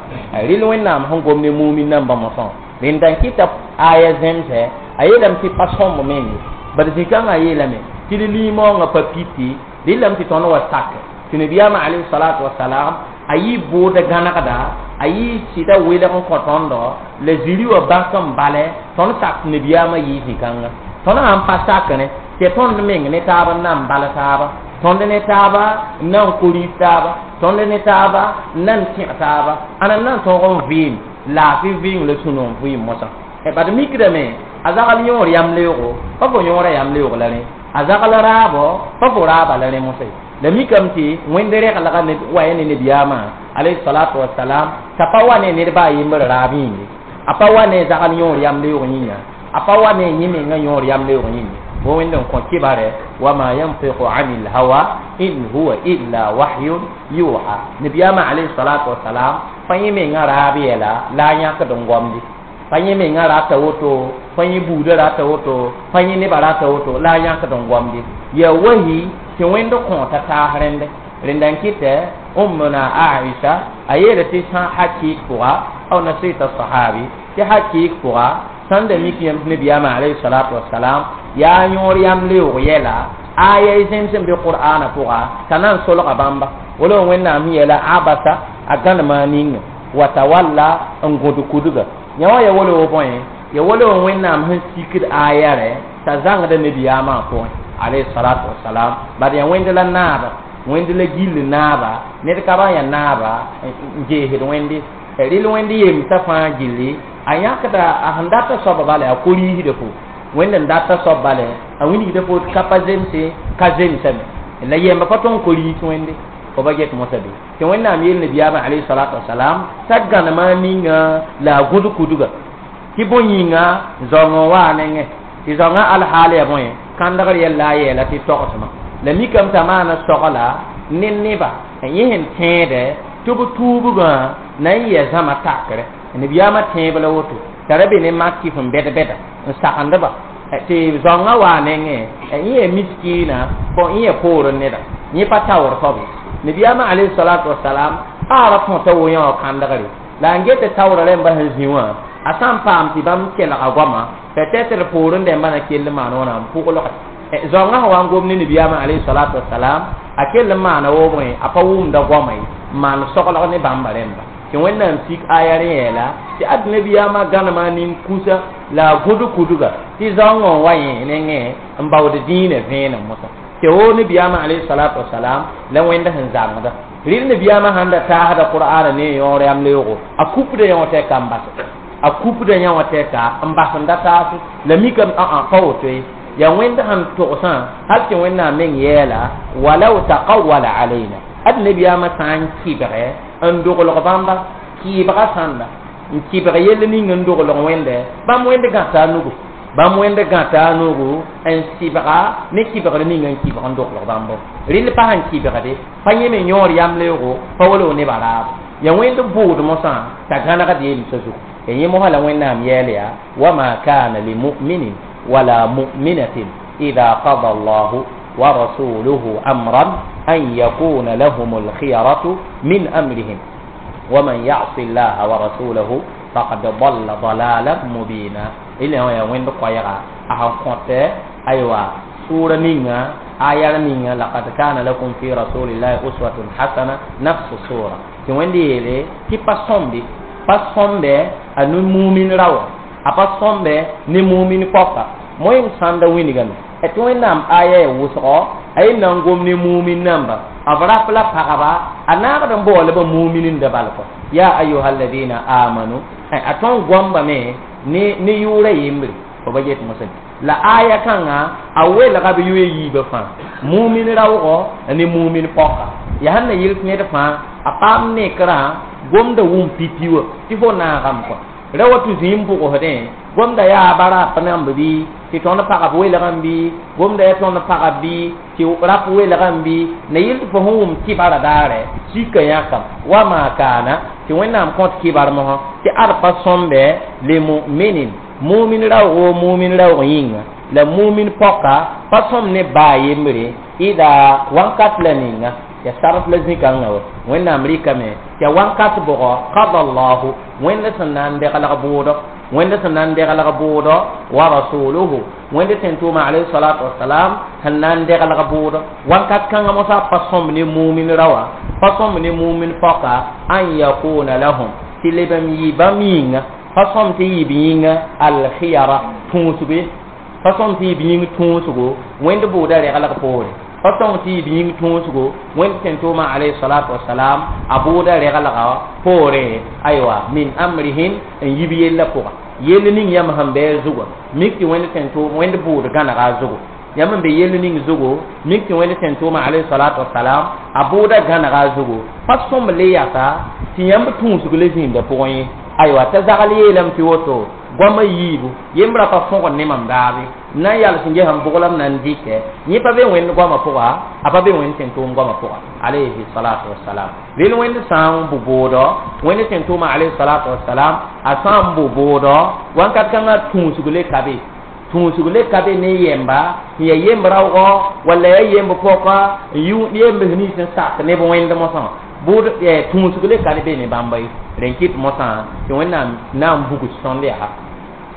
rɩl wẽnnaam sẽn gom ne mumin nambã mosã rẽnda n kɩta aya zẽmsɛ a yeelame tɩ pa sõmb meng ye bad zĩ-kãngã yeelame tɩ d liimoongã pa piti rɩlame tɩ tõnd wa sakɛ tɩ nabiyaamã alayhi salatu wasalam a yɩ bʋʋd gãnegda a yɩ sɩda welg n kõ tõndo la zĩri wã bãk n balɛ tõnd sak nabiyaamã yɩ zĩ-kãngã tõnd sãn pa sakẽ tɩ tõnd meng ne taab n na n bal taaba Tõnd ne taaba n na n koris taaba, tõnd ne taaba n na n tẽg taaba, ãna n na n tõog n vɩɩm laafɩ vɩɩng la sũ-noog vɩɩm mosã. Bad mikdame a zagl yõor yam leoogo, pa fo yõora yam leoog la rẽ, a zagl raabo, pa fo raaba la rẽ mosã. La mikame tɩ wẽnd reglga wa ya ne nabiyaamã alayhi salatu wasalam, t'a pa wa ne ned baa yembr raab yĩnge, a pa wa ne zagl yõor yam leoog yĩnga, a pa wa ne yẽ menga yõor yam leoog yĩnga. Bo wẽnd n kõ kibare wama yantiqu anil hawa in huwa illa wahyun yuha. Nabiyaamã alayhi salatu wasalam pa yẽ menga raab yɛla la a yãkd n gomde, pa yẽ menga rata woto, pa yẽ buudã rata woto, pa yẽ nebã rata woto la a yãkd n gomde. Yaa wahi tɩ wẽnd kõota taas rẽnde. Rẽnda n kɩtɛ Ummuna Aisha a yeela tɩ sã hakɩɩk pʋga aw nasita sahabi tɩ hakɩɩk pʋga sãn da mik yãmb tɩ nabiyaamã alayhi salatu wasalam yaa yõor yam leoog yɛla aya y zẽms n be qur'ana pʋga t'a na n solga bãmba wala wẽnnaam sẽn yeela abasa a gãnema a ninga wa tawalla n gõd kudga. Yã wã ya wala bõe, ya wala wẽnnaam sẽn sikd aya rɛ t'a zãngda nabiyaamã pʋgẽ alayhi salatu wasalam. Bad yaa wẽnd la naaba, wẽnd la gill naaba, ned ka ba yaa naaba n geesd wẽnde rɩl wẽnd yemsã fãa gilli a yãkda a sẽn data soaba bala a koriisda fo wẽnd n data soab bala a wilgda fo ka pa zemse ka zemsame la yemba pa tõn koriis wẽnde fo ba get mosã be tɩ wẽnnaam yeel nabiyaamã alayhi salatu wasalam t'a gãnema ninga la a gũd kudga tɩ bõe yĩnga zaoong n waa nengẽ tɩ zaoongã alhaal ya bõe kãndgr yɛl la a yeela tɩ togsmã la mikame t'a maana sogla ne neba yẽ sẽn tẽedɛ tɩ b tuubgã na n yɛ zãma takrɛ. Nabiyaamã tẽeb la woto t'a ra be ne makif n bɛd-bɛda n sagendba tɩ zaoongã waa nengẽ yẽ ya miskiina bõ yẽ ya poorẽ neda yẽ pa taoor soab ye. Nabiyaamã alayhi salatu wasalam a ra tõta wo yã wã kãndgre la n get taoora rẽmba sẽn zĩ wã a sã n paam tɩ bãmb kelga goama peut-être poorẽ dẽmbã na kell n maan wãna n pʋglge zaoongã sẽn wa n gom ne nabiyaamã alayhi salatu wasalam a kell n maana woobẽ a pa wʋmda goama ye n maan soglg ne bãmba rẽmba tɩ wẽnnaam sik aya rẽ yeela tɩ ad nabiyaamã gãnema nin-kusa la a gũd kudga tɩ zaoongã n wa yẽ nengẽ n baood dĩinã vẽenem mosã tɩ woo nabiyaamã alayhi salatu wasalam la wẽnd sẽn zãngda rɩl nabiyaamã sãn da taasda qur'ana ne yõor yam leoogo a kupda yã wã tɛka n bas a kupda yã wã tɛka n bas n da taase la mikame ã pa woto ye ya wẽnd sẽn togsã hal tɩ wẽnnaam meng yɛɛla walau taqawala alayna ad nabiyaamã sã n kɩbgɛ n doglg bãmba kɩɩbga sãnda n kɩbg yell ning n doglg wẽnde bãmb wẽnd gãta a nugu bãmb wẽnd gãta a nugu n sɩbga ne kɩbgr ning n kɩbg n doglg bãmbo rɩl pa sẽn kɩbgde pa yẽ me yõor yam leoogo pa wala nebã raabo ya wẽnd bʋʋd mosã t'a gãnegd yemsã zugu ya yẽ mosã la wẽnnaam yɛɛl yaa wama kana limuminin wala muminatin ida qada allahu wa rasuluhu amran an yakuna lahum alkhiyaratu min amrihim waman yasi llaha wa rasulahu faqad dalla dalalan mubina. Ila ya wẽnd koɛɛga a sẽn kõtɛ aywa sʋʋra ninga aya ninga laqad kana lakum fi rasulillahi uswatun hasana nafsu sura tɩ wẽnd yeele tɩ pa sõmbe pa sõmbe a ne mumin raoã a pa sõmbe ne mumin pɔka moẽ sãnda wingame tɩ wẽnnaam aya ya wʋsgɔ a yel na n gom ne mumin namba b rap la pagba a naagd n baoolba muminenda bal kɔ ya ayuha alladina amanu a tõn goambame ne yʋʋra yembre fo ba get mosã la aya kãngã a welga b yʋ yiibã fãa mumin raoogɔ ne mumin pɔka ya sẽn na yɩl ned fãa a paam nekrã gomda wʋm pipi wã tɩ fo naagame kɔ ra wa tɩ zĩim bʋgsdẽ gomda yaa ba rap namb bɩ tɩ tõnd pagb welgame bɩ gomda yaa tõnd pagb bɩ tɩ rap welgame bɩ na yɩl tɩ fo sẽn wʋm kɩbarã daare sika yãkam wama kaana tɩ wẽnnaam kõt kɩbar mosã tɩ ad pa sõmbe limuminin mumin raoogo mumin raoog yĩnga la mumin pɔka pa sõm ne baa yembre ida wãnkat la ninga ya sarf la zĩ-kãngã wa wẽnnaam rɩkame tɩ ya wãnkat bʋgɔ qada allahu wẽnd sẽn na n deglg bʋʋdɔ wẽnd sẽn na n deglg bʋʋdɔ wa rasuluhu wẽnd sẽn tʋʋma alayhi salatu wasalam sẽn na n deglg bʋʋdɔ wãnkat kãngã mosã pa sõmb ne mumin raoã pa sõmb ne mumin pɔka an yakuna lahum tɩ leb n yɩ bãmb yĩnga pa sõm tɩ yɩ b yĩnga alkhiyara tũusgo pa sõm tɩ yɩ b yĩng tũusgo wẽnd bʋʋda reglg poore Pa tõng tɩ y b yĩng tũusgo wẽnd tẽn-tʋʋmã alayhi salatu wasalam a bʋʋda reglga poorẽ aywa min amrihin n yib yellã pʋga yell ning yãmb sẽn bɩ a zugã mik tɩ wẽnd tẽn-tʋʋm wẽnd bʋʋd gãnega a zugu yãmb n be yell ning zugu mik tɩ wẽnd tẽn-tʋʋmã alayhi salatu wasalam a bʋʋda gãnega a zugu pa sõmb le yasa tɩ yãmb tũusg le zĩndã pʋgẽ ye aywa t'a zagl yeelame tɩ woto goamã yiibu yembra pa fõgd ne mam daabe n na n yals n ges n bʋglame na n dɩkɛ yẽ pa be wẽnd goamã pʋga a pa be wẽnd tẽn-tʋʋm goamã pʋga alayhi salatu wasalam rel wẽnd sã n bʋ bʋʋdɔ wẽnd tẽn-tʋʋmã alayhi salatu wasalam a sã n bʋ bʋʋdɔ wãnkat kãngã tũusg le ka be tũusg le ka be ne yemba n ya yemb raoogɔ walla ya yemb pɔka n yemb nins n sak neb wẽnd mosã bʋʋd tũusg le ka be ne bãmba ye rẽn kɩt mosã tɩ wẽnnaam na n bugs tõnd yaa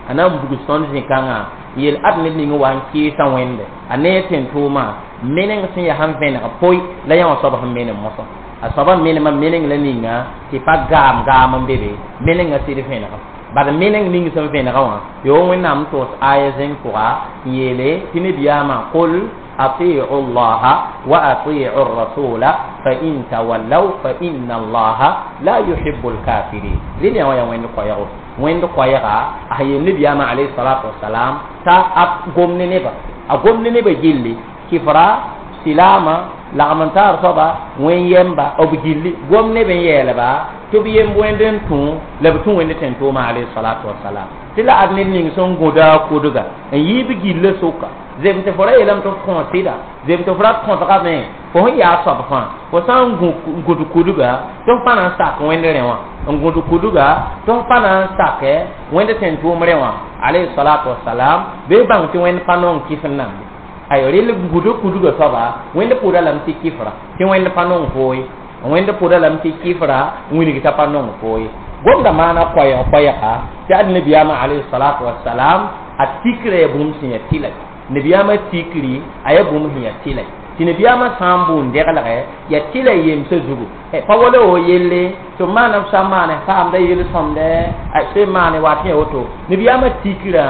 a na n bugs tõnd zĩ-kãngã yel ad ned ning wa n kɩɩsã wẽnde a ne tẽn-tʋʋmã meneng sẽn yaa sẽn vẽneg poe la yã wã soab sẽn menem mosã a soabã menemã meneng la ninga tɩ pa gaam gaam n be be menengã sɩd vẽnega bad meneng ning sẽn vẽnega wã yo wẽnnaam n toos aya zẽng pʋga n yeele tɩ nebiyaamã qul أطيعوا الله وأطيعوا الرسول فإن تولوا فإن الله لا يحب الكافرين لين يا وين قويغو وين قويغا أهي النبي عليه الصلاة والسلام تا أقوم نبا أقوم نبا جيلي كفرا سلاما lagm-n-taar soaba wẽn yɛmba b gilli gom neb n yeelba tɩ b yemb wẽnd n tũ la b tũ wẽnd tẽn-tʋʋmã alayhi salatu wasalam tɩ la ad ned ning sẽn gũda a kʋdga n yiib gillã sʋka zem tɩ fo ra yeelame tɩ f kõ sɩda zem tɩ fo ra kõsgame fo sẽn yaa soab fãa fo sã n gũd kudga tɩ f pa na n sak wẽnd rẽ wã n gũd kudga tɩ f pa na n sakɛ wẽnd tẽn-tʋʋm rẽ wã alayhi salatu wasalam bɩ bãng tɩ wẽnd pa nong kɩf n namde ay rel gũd kudga soaba wẽnd pʋʋda lame tɩ kɩfra tɩ wẽnd pa nong foo ye wẽnd pʋʋda lame tɩ kɩfra wilg t'a pa nong foo ye gomda maana koɛɛg koɛɛga tɩ ad nabiyaamã alayhi salatu wasalam a tikra ya bũmb sẽn ya tɩla nabiyaamã tikri a ya bũmb sẽn ya tɩla tɩ nabiyaamã sã n bʋʋn deglgɛ ya tɩla yemsã zugu pa wala wo yelle tɩ b maana b sã n maane paamda yel-sõmdɛ a sẽn maane waat ya woto nabiyaamã tikrã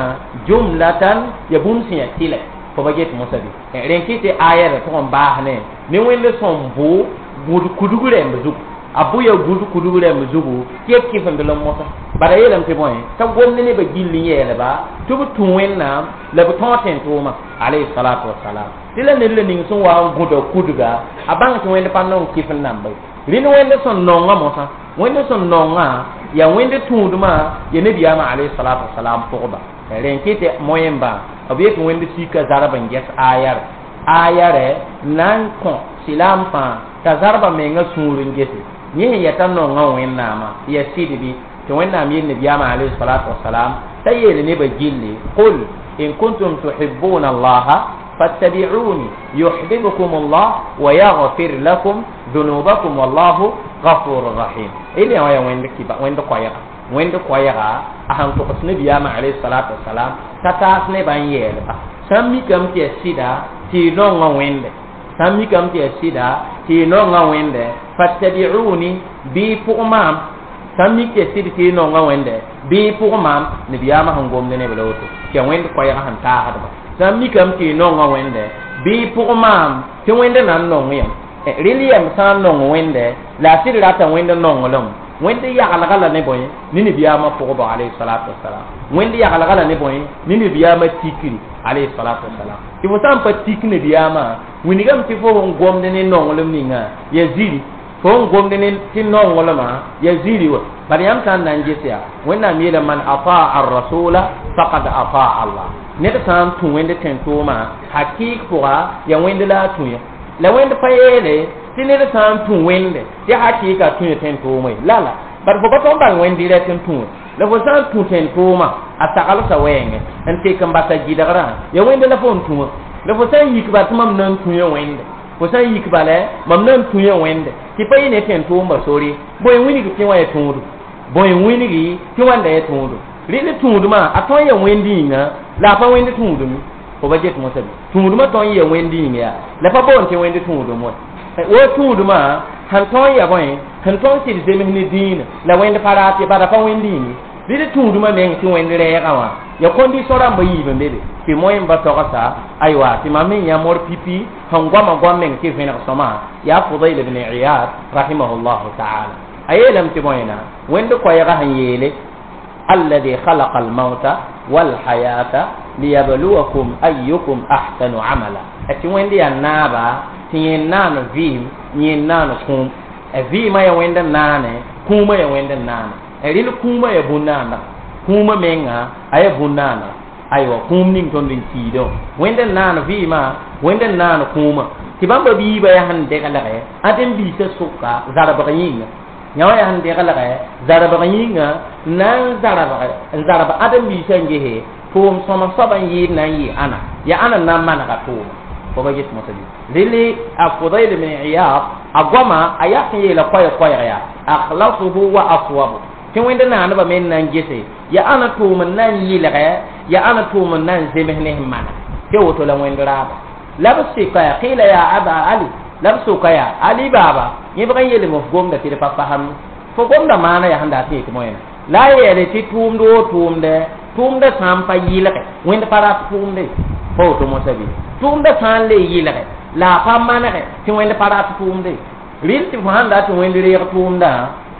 jumlatan ya bũmb sẽn ya tɩla fo ba get mosã bɩ rẽn kɩ tɩ aya ra tʋg n baas ne ne wẽnd sõm bʋ gũd kudg rẽmb zugu a bʋ ya gũd kudg rẽmb zugu tɩ ya kɩfend l mosã bala yeelame tɩ bõe t'a gomd nebã gill n yeelba tɩ b tũ wẽnnaam la b tõog tẽn-tʋʋmã alayhi salatu wasalam tɩ la ned la ning sẽn wa n gũda kudga a bãng tɩ wẽnd pa nong kɩf n namba ye rẽnd wẽnd sẽn nongã mosã wẽnd sẽn nongã yaa wẽnd tũudmã ya nabiyaamã alayhi salatu wasalam pʋgba rẽn kɩ tɩ moẽmbã b yet wẽnd sika zarb n ges ayar ayarɛ na n kõ silaam fãa t'a zarba menga sũur n gese yẽ sẽn yɛta nongã wẽnnaamã ya sɩd bɩ tɩ wẽnnaam yel nabiyaamã alayhi salatu wasalam t'a yeel nebã gilli qul in kuntum tuhibbuna allaha fattabi'uni yuhibbukum allah wa yaghfir lakum dhunubakum wallahu ghafurur rahim ili ya wẽnd kiba wẽnd koɛɛga wẽnd koɛɛga a sãn togs nabiyaamã alayhi salatu wasalam t'a taas nebã n yeelba sã n mikame tɩ ya sɩda tɩ y nongã wẽnde sã n mikame tɩ ya sɩda tɩ y nongã wẽnde fattabi'uni bɩ y pʋg maam sã n mik tɩ ya sɩd tɩ y nongã wẽnde bɩ y pʋg maam nabiyaamã sẽn gomd neb la woto tɩ ya wẽnd koɛɛgã sẽn taasdba sã n mikame tɩ y nongã wẽnde bɩ y pʋg maam tɩ wẽnd na n nong yam rel yɛm sã n nong wẽnde la a sɩd rata wẽnd nonglem wẽnd yaglga la ne bõe ne nabiyaamã pʋgba alayhi salatu wasalam wẽnd yaglga la ne bõe ne nabiyaamã tikri alayhi salatu wasalam tɩ fo sã n pa tik nabiyaamã wilgame tɩ fo sẽn gomd ne nonglem ninga ya ziri fo sẽn gomd ne tɩ nonglmã ya ziri wa bad yãmb sã n na n ges yaa wẽnnaam yeela man ataa arrasula faqad ataa allah ned sã n tũ wẽnd tẽn-tʋʋmã hakɩɩk pʋga ya wẽnd la a tũ ya la wẽnd pa yeele tɩ ned sã n tũ wẽnde tɩ hakɩɩka tũ ya tẽn-tʋʋmã ye la la bad fo pa tõg n bãng wẽnd dɩrɛ tɩ n tũ la fo sã n tũ tẽn-tʋʋmã a saglsa wɛɛngẽ n tek n basa gɩdgrã ya wẽnd la fo n tũa la fo sã n yik bal tɩ mam na n tũ ya wẽnde fo sã n yik bala mam na n tũ ya wẽnde tɩ pa yɩ ne tẽn-tʋʋmba sore bõe wilg tɩ wã ya tũudu bõe wilgi tɩ wãnda ya tũudu rɩl tũudmã a tõe n ya wẽnd yĩnga la a pa wẽnd tũudum fo ba get mosã bɩ tũudmã tõe n ya wẽnd yĩng yaa la pa boond tɩ wẽnd tũudum wa wo tũudmã sẽn tõe n ya bõe sẽn tõe n sɩd zems ne dĩinã la wẽnd pa raat ye bala pa wẽnd yĩnge rɩl tũudmã meng tɩ wẽnd rɛɛgã wã Ya condition rãmba yiib n be be tɩ moẽ ba togsa aywa tɩ mam me yã mor pipi sẽn goama goam meng tɩ vẽneg sõma yaa Fudayl ibn Iyad rahimahullahu taala a yeelame tɩ bõena wẽnd koɛɛgã sẽn yeele alladhi khalaqa almauta walhayata liyabluwakum ayyukum ahsanu amala tɩ wẽnd yaa naaba tɩ yẽ naan vɩɩm yẽ naan kũum vɩɩmã ya wẽnd n naane kũumã ya wẽnd n naane rɩl kũumã ya bũn-naandã kũumã menga a ya bũn-naandã aywa kũum ning tõnd n kiidẽ wã wẽnd n naan vɩɩmã wẽnd n naan kũumã tɩ bãmba biibã yaa sẽn deglgɛ ãdem-biisã sʋka zarbg yĩnga yã wã yaa sẽn deglgɛ zarbg yĩnga na n zarbg n zarb ãdem-biisã n gese tʋʋm sõma soab n yɩɩd na n yɩ ãna ya ãna n na n manega tʋʋma fo ba get mosã bɩ rɩlɩ a Fudayl ibn Iyad a goama a yak n yeela koɛɛg yaa akhlasuhu wa aswabu tɩ wẽnd naaneba me n na n gese ya ãna tʋʋm n na n yɩlgɛ ya ãna tʋʋm n na n zems ne sẽn maneg tɩ woto la wẽnd raaba la b sɩka yaa qila ya aba ali la b soka yaa ali baaba yẽbg n yeelame f gomda tɩ d pa fasam fo gomda maana yaa sẽn dat n yetɩ moẽna la a yeele tɩ tʋʋmd woo tʋʋmdɛ tʋʋmdã sã n pa yɩlgɛ wẽnd pa rat tʋʋmde pa woto mosã bɩ tʋʋmdã sã n le yɩlgɛ la a pa manegɛ tɩ wẽnd pa rat tʋʋmde rɩl tɩ fo sãn dat tɩ wẽnd reeg tʋʋmdã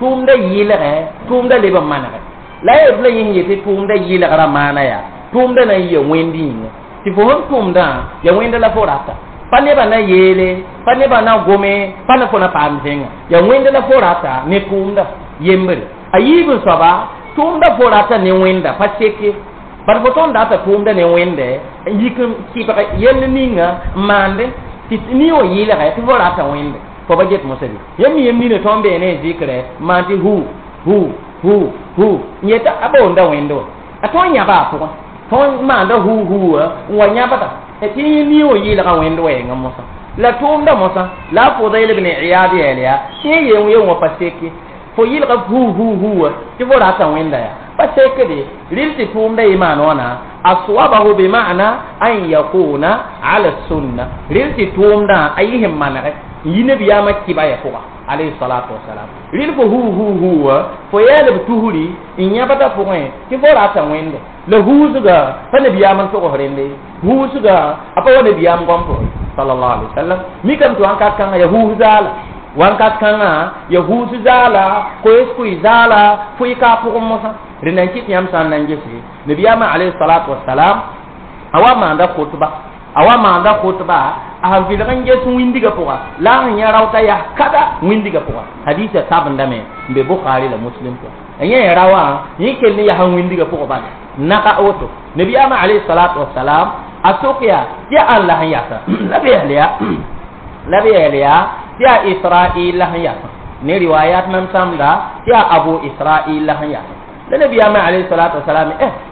tʋʋmdã yɩlgɛ tʋʋmdã leb n manegɛ la a yetɩ la yẽ sẽn yetɩ tʋʋmdã yɩlgrã maana yaa tʋʋmdã na n yɩa wẽnd yĩnga tɩ fo sẽn tʋmdã ya wẽnda la fo rata pa nebã na yeele pa nebã na gome pa na fo na paam zẽnga ya wẽnda la fo rata ne tʋʋmda yembre a yiib n soaba tʋʋmda fo rata ne wẽnda pa seke bad fo tõnd data tʋʋmda ne wẽnde n yik n kɩbg yell ninga n maande tɩ ni wã yɩlgɛ tɩ fo rata wẽnde fo ba get mosã bɩ yãmb mi yem nina tõnd bee ne zɩkrɛ n maan tɩ hu hu hu hu n yeta a boonda wẽnde wã a tõnd yãba a pʋgẽ tõnd maanda hu hu wã n wa yãbda tɩ ni wã yɩlga wẽnd wɛɛngã mosã la tʋʋmda mosã la a Fudayl ibn Iyad yɛɛl yaa tɩ yẽ yeen yen wã pa seke fo yɩlga hu hu hu wã tɩ fo rata wẽnda yaa pa sekde rɩl tɩ tʋʋmda yɩ maan wãna aswabahu bima'na an yakuna ala sunna rɩl tɩ tʋʋmdã a yɩ sẽn manegɛ n yi nabiyaamã kɩba ya pʋga alayhi salatu wasalam rɩl fo hu hu hu wã fo yɛɛl b tusri n yãbda pʋgẽ tɩ fo rata wẽnde la huusga pa nabiyaam n togs rẽnde huusga a pa wa nabiyaam gom pʋgẽ sallallahu alaihi wasallam mikame tɩ wãnkat kãngã ya huus zaala wãnkat kãngã ya huus zaala koees kʋɩ zaala fʋɩ ka a pʋgẽ mosã rẽnd n kɩt yãmb sã n na n gese nabiyaamã alayhi salatu wasalam a wa maanda khutba a wa maanda khutba a sẽn vɩlg n ges wĩndigã pʋga la a sẽn yã raota yaa kada wĩndigã pʋga hadisa tabendame n be Bukhari la Muslim pʋga yẽ ra wã yẽ kell n yaa wĩndigã pʋgã bala naga woto nabiyaamã alayhi salatu wasalam a sok yaa tɩ yaa ãn la sẽn yasa la b yɛɛl yaa la b yɛɛl yaa tɩ yaa Israil la sẽn yasa ne riwayat mam sãmda tɩ yaa Abu Israil la sẽn yasa la nabiyaamã alayhi salatu wasalam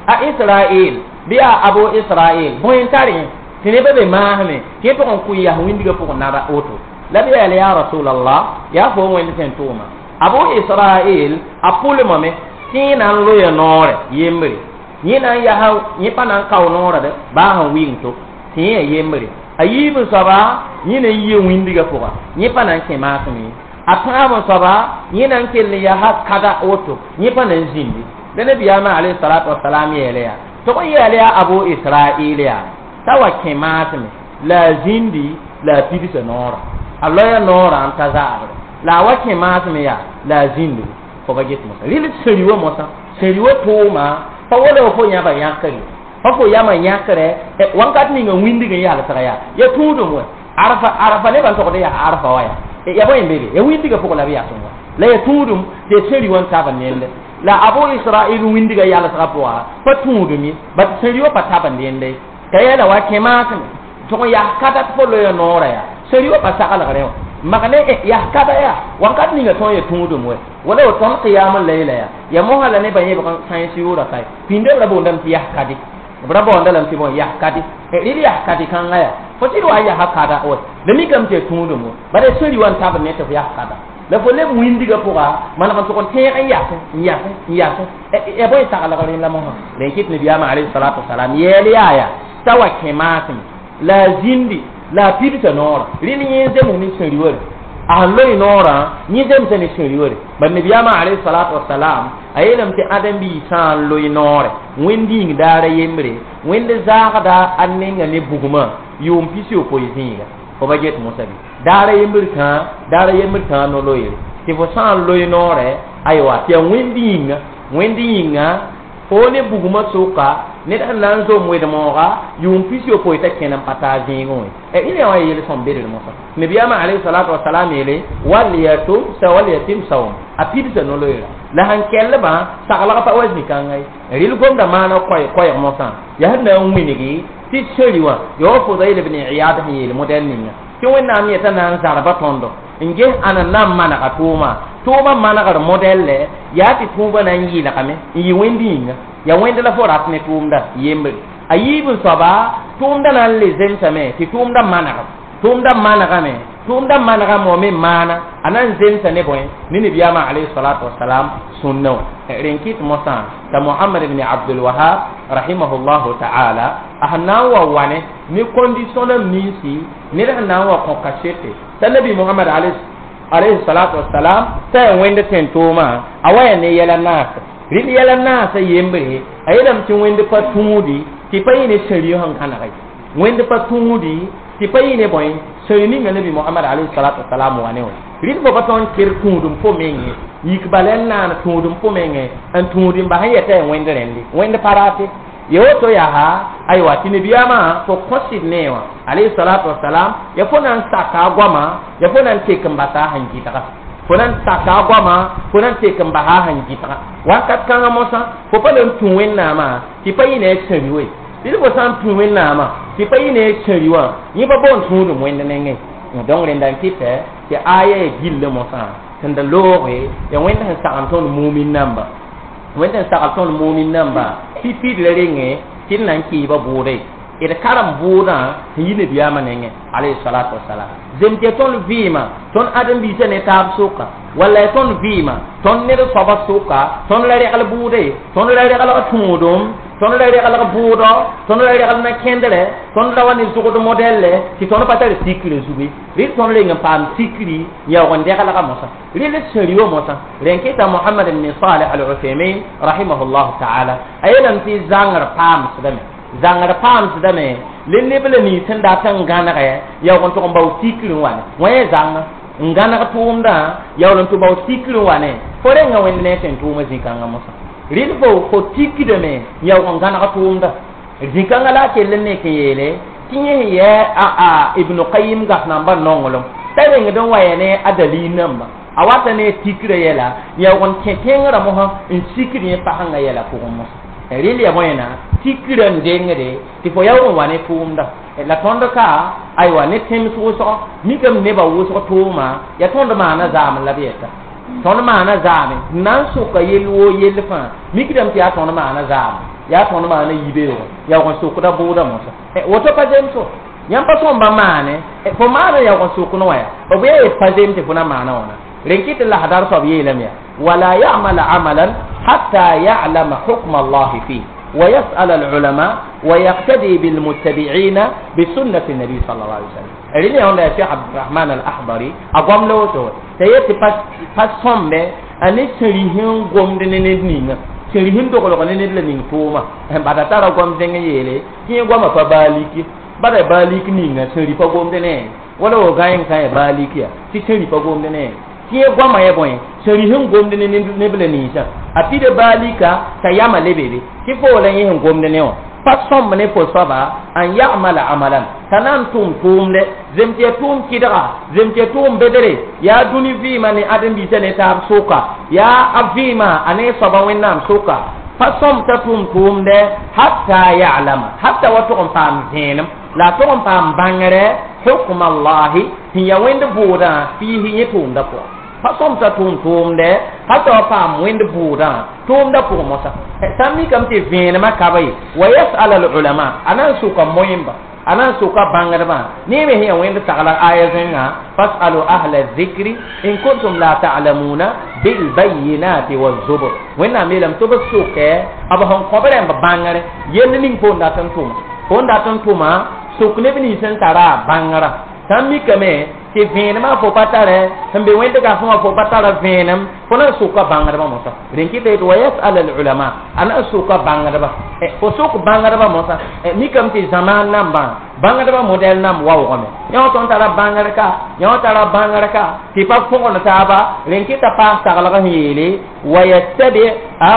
a Israil bɩ yaa Abu Israil bõe n tar yẽ tɩ nebã be maasme tɩ yẽ pʋgẽ n kʋɩ yaa wĩndigã pʋgẽ naba woto la b yɛɛl yaa rasulallah yaa fo wẽnd sẽn tʋʋma Abu Israil a pʋlmame tɩ yẽ na n loya noorɛ yembre yẽ na n yaa yẽ pa na n kao noorã de baa sẽn wɩng to tɩ yẽ ya yembre a yiib n soaba yẽ na n yia wĩndigã pʋga yẽ pa na n kẽ maasme a tãab n soaba yẽ na n kell n yaa kada woto yẽ pa na n zĩndi la nabiyaamã alayhi salatu wasalam yeele yaa tɩ b yɛɛl yaa Abu Israil yaa t'a wa kẽ maasme la a zĩndi la a pidsa noorã a loya noorã n ta zaabre la a wa kẽ maasme yaa la a zĩndi fo ba get mosã rɩl sẽri wa mosã sẽri wa tʋʋma pa wala fo yãba yãkre pa fo yama yãkre wãnkat ninga wĩndig n yalsga yaa ya tũudum wɛ arafa arafa nebã n togd yaa arafa wa yaa ya bõe n be be ya wĩndigã pʋgẽ la b yasẽ wa la ya tũudum tɩ ya sẽri wã n tab n nende la Abu Israil wĩndigã yalsgã pʋga pa tũudum ye bat sẽri wã pa tab n dẽnde t'a yeela wa kẽ maasme tʋg n yaa kada tɩ fo loya noorã yaa sẽri wã pa saglgrẽ wã magne yaa kada yaa wãnkat ninga tõnd ya tũudum wɛ wala wa tõnd qiyam layla yaa ya mosã la nebã yẽbg sãens yʋʋra kae pĩnda b ra boondame tɩ yaa kadi b ra baoonda lame tɩ bõe yaa kadi rɩl yaa kadi kãngã yaa fo tɩ d wa yaa kada wɛ la mikame tɩ ya tũudum wɛ bala sẽri wã n tab ne tɩ f yaa kada la fo leb wĩndigã pʋga maneg n tʋg n tẽeg n yasẽ n yasẽ n yasẽ ya bõe saglg rẽnd la mosã la n kɩt nabiyaamã alayhi salatu wasalam yɛɛl yaa yaa t'a wa kẽ maasme la a zĩndi la a pidsa noorã rɩl yẽ zems ne sẽri wã A sẽn loe noorã yẽ zemsa ne sẽri ware bad nabiyaamã alayhi salatu wasalam a yeelame tɩ ãdem-biig sã n loe noore wẽnd yĩng daara yembre wẽnd zaagda a nenga ne bugmã yʋʋm 60 zĩiga fo ba get mosã bɩ daara yembr tãa no-loeere tɩ fo sã n loe noorɛ aywa tɩ yaa wẽnd yĩnga fo ne bugmã sʋka ned sẽn na n zom wed-mooga yʋʋm 60 t'a kẽn n pa taa zẽegẽ wẽ ila wã yel sõm bedr mosã nabiyaamã alayhi salatu wasalam yeele walyatim sawm a pidsa no-loeera la sẽn kellbã saglg pa wa zĩ-kãnga ye rɩl gomda maana koɛɛg mosã yaa sẽn na n wilgi tɩ seri wã ya wa Fudayl ibn Iyad sẽn yeel modɛl ninga tɩ Wẽnnaam yeta na n zarba tõndo n ges ãna na n manega tʋʋma tʋʋmã manegr modɛlle yaa tɩ tʋʋbã na n yɩɩlgame n yɩ wẽnd yĩnga ya wẽnd la fo rat ne tʋʋmda yembre a yiib n soaba tʋʋmda na n le zemsame tɩ tʋʋmda manegem tʋʋmda manegame tʋʋmda manegame wa me maana a na n zemsa ne bõe ne nabiyaamã alayhi salatu wasalam sũnna wã rẽn kɩt mosã t'a Mohamad ibn Abdul Wahab rahimahullahu ta'ala a sẽn na n wa wane ne condition nam ninsi ned sẽn na n wa kõ kasete t'a nabi Mohamad alayhi salatu wasalam t'a yaa wẽnd tẽn-toomã a wa yaa ne yɛla naasa rɩl yɛla naasa yembre a yeelame tɩ wẽnd pa tũudi tɩ pa yẽ ne sẽri sẽn gãneg ye wẽnd pa tũudi tɩ pa yẽ ne bõe sẽri ninga nabi Mohamad alayhi salatu wasalam wa ne wã rɩl fo pa tõnd ker tũudum fo menge yik bala n naan tũudum fo menge n tũud n bas n yɛta yaa wẽnd rẽnde wẽnd pa raate ya woto yaa aywa tɩ nabiyaamã fo kõsd nee wã alayhi salatu wasalam ya fo na n saka a goama ya fo na n tek n basa a sẽn gɩdga fo na n saka a goama fo na n tek n basa a sẽn gɩdga wakat kãngã mosã fo pa na n tũ Wẽnnaamã tɩ pa yẽ ne a sẽri we rɩl fo sã n tũ Wẽnnaamã tɩ pa yẽ ne a sẽri wã yẽ pa boond tũudum wẽnd nengẽ donc rẽnda n kɩtɛ tɩ aya ya gilli mosã sẽn da looge ya wẽnd sẽn sagem tõnd mumin namba wẽnd sẽn sagl tõnd mumin namba pipi la renge tɩ d na n kɩɩba bʋʋde d karem bʋʋdã sẽn yi nabiyaamã nengẽ alayhi salatu wasalam zem tɩ tõnd vɩɩmã tõnd ãdem-biisã ne taab sʋka walla ya tõnd vɩɩmã tõnd ned soaba sʋka tõnd la regl bʋʋde tõnd la reglg tũudum tõnd la reglg bʋʋdɔ tõnd la regl na-kẽndrɛ tõnd la wa ne zʋgd modɛlle tɩ tõnd pa tar sikre zugu rɩl tõnd reng n paam sikri n yaoog n deglga mosã rɩl sẽri wa mosã rẽn kɩta Mohamad ibn Salih al-Uthaymin rahimahullahu ta'ala a yeelame tɩ zãngr paamsdame zãngr paamsdame le neb la nins sẽn dat n gãnegɛ yaoog n tʋg n bao sikr n wane wã yaa zãnga n gãneg tʋʋmdã yaool n tʋ bao sikr n wane fo renga wẽnd ne tẽn tʋʋmã zĩ-kãngã mosã rɩl fo tikdame yaoog n gãneg tʋʋmda zĩ-kãngã la a kell n nek n yeele tɩ yẽ sẽn yɛ a Ibn Qayyim gas namba nonglem t'a rengd n wa ya ne a dalil namba a wata ne tikrã yɛla yaoog n kẽ tẽngrã mosã n sikd yẽ pasẽngã yɛla pʋgẽ mosã rɩl ya bõena tikrã n dengde tɩ fo yaoog n wa ne tʋʋmda la tõnd ka aywa ne tẽms wʋsg mikame nebã wʋsg tʋʋma yaa tõnd maana zaam la b yɛta tõnd maana zaame n na n sʋka yell woo yell fãa mikdame tɩ yaa tõnd maana zaame yaa tõnd maana yibeoogo yaoog n sʋkda bʋʋda mosã woto pa zemso yãmb pa sõmba maane fo maana yaoog n sʋk ne wã yaa b yaa yet pa zem tɩ fo na maana wãna rẽn kɩ tɩ lasdar soab yeelame yaa wala yamala amalan hatta ya'lama hukma allahi fihi ويسأل العلماء ويقتدي بالمتبعين بسنة النبي صلى الله عليه وسلم. ريني هون يا شيخ عبد الرحمن الأحضري أقوم له تو تيتي باس صمبه أني سريهن قوم دنينين سريهن دوغلو نين لنين توما بعد ترى قوم زين يلي كي قوم فباليكي بعد باليك نين سري فقوم دنين ولا هو غاين كاي باليكي تي سري فقوم دنين tɩ goamã ya bõe sẽn sẽn gomd ne neb la ninsã a pida baalika t'a yama lebebe tɩ fo la yẽ sẽn gomd ne wã pa sõmb ne fo soaba n yamala amalan t'a na n tʋm tʋʋmde zem tɩ ya tʋʋm kɩdga zem tɩ ya tʋʋm bedre yaa dũni vɩɩmã ne ãdem-biisã ne taab sʋka yaa a vɩɩmã a ne soaba Wẽnnaam sʋka pa sõmb t'a tʋm tʋʋmde hatta ya'lama hatta wa tʋg n paam zẽenem la a tʋg n paam bãngre hukm allahi sẽn yaa wẽnd bʋʋdã fiisi yẽ tʋʋmdã pʋgã pa sõm t'a tʋʋm tʋʋmdɛ hata wa paam wẽnd bʋʋdã tʋʋmdã pʋgẽ mosã sã n mikame tɩ vẽenemã ka ba ye wa yasala alulama a na n sʋka moẽmba a na n sʋka bãngdbã ne me sẽn yaa wẽnd sagla aya zẽnga fasalu ahla zikri in kuntum la ta'lamuna bilbayinati wazubur Wẽnnaam yeelame tɩ b sʋkɛ b sẽn kõ b rãmb bãngre yell ning fo n dat n tʋma fo n dat n tʋma sʋk neb nins sẽn tara a bãngrã sã n mikame Tɩ vẽenemã fo pa tare sẽn be wẽnd gafẽ wã fo pa tara vẽenem fo na n soka bãngdbã mosã rẽn kɩta yetɩ wa yasal al ulama a na n soka bãngdba fo sok bãngdbã mosã mikame tɩ zamaan nambã bãngdbã modɛl nam waoogame yã tõnd tara bãngr ka yã tara bãngr ka tɩ pa põgend taaba rẽn kɩta paas taglg sẽn yeele wa yattabi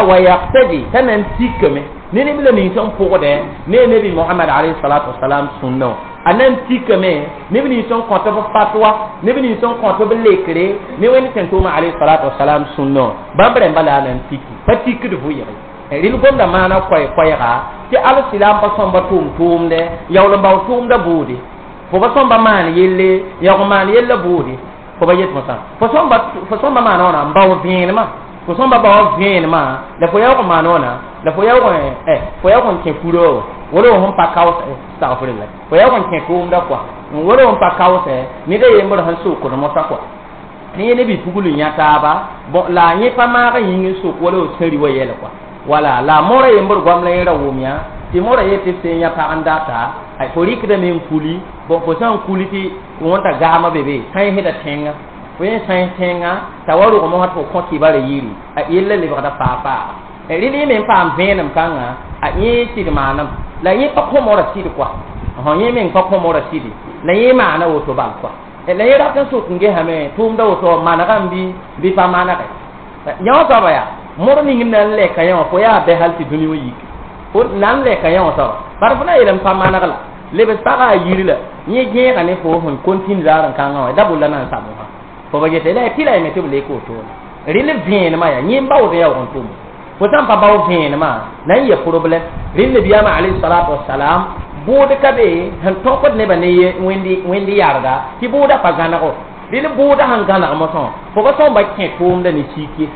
wa yaqtadi t'a na n tikame ne neb la nins n pʋgdɛ ne nebi Mohamad alayhi salatu wasalam sũnnã a na n tikame neb nins n kõt b fatwa neb nins n kõt b lekre ne wẽnd sẽn tʋʋma alayhi salatu wasalam sũnnã bãmb rẽmba la a na n tiki pa tikd vʋɩge rɩl gomda maana koɛɛ-koɛɛga tɩ alsilam pa sõmba tʋʋm-tʋʋmdɛ yaool n bao tʋʋmda buudi fo pa sõmba maan yelle yaoog n maan yella buudi fo pa yet mosã fo sõmba maana wãna n bao vẽenemã fo sõmba bao vẽenemã la fo yaoog n maan wãna la fo yaoog n kẽ furoo wala sẽn pa kaoos astagfirullah fo yaoog n kẽ tʋʋmda kɔa wala sẽn pa kaoosɛ ned a yembr sẽn sokd mosã kɔa ne yẽ ne bi-pugl n yã taaba bõ la a yẽ pa maag yĩng n sok wala sẽn ri wa yɛl kɔa wala la mora yembr goam la yẽ ra wʋm yã tɩ mora yetɩ sẽn yã pag n data fo rɩkdame n kuli bõ fo sã n kuli tɩ wõnta gaamã be be sãensda tẽngã fo yẽ sãens tẽngã t'a wa rog mosã tɩ fo kõ kibara yiri a yella lebgda faa-faaga rɩl yẽ me n paam vẽenem kãngã a yẽ sɩd maanem la yẽ pa kõ mora sɩd kɔa yẽ meng pa kõ mora sɩdi la yẽ maana woto bal kɔa la yẽ rat n sok n gesame tʋʋmda woto manegame bɩ pa manege yã wã soaba yaa mor ning n na n lɛka yã wã fo yaa bɛ hal tɩ dũni wã yik fo na n lɛka yã wã soaba bar fo na yeel n pa maneg la lebs pagã a yiri la yẽ gẽega ne fo sẽn kontine zaar n kãngã wã da bolla na n sab wã fo ba gete la tɩ la yeme tɩ b lek wotone rɩl vẽenemã yaa yẽ n baood yaoog n tʋm fo sã n pa bao vẽenemã na n yɛ problɛm rɩl nabiyaamã alayhi salatu wasalam bʋʋd ka be sẽn tõkd nebã ne wẽnd yarga tɩ bʋʋda pa gãnego rɩl bʋʋda sẽn gãneg mosã fo pa sõmba kẽ tʋʋmda ne sik ye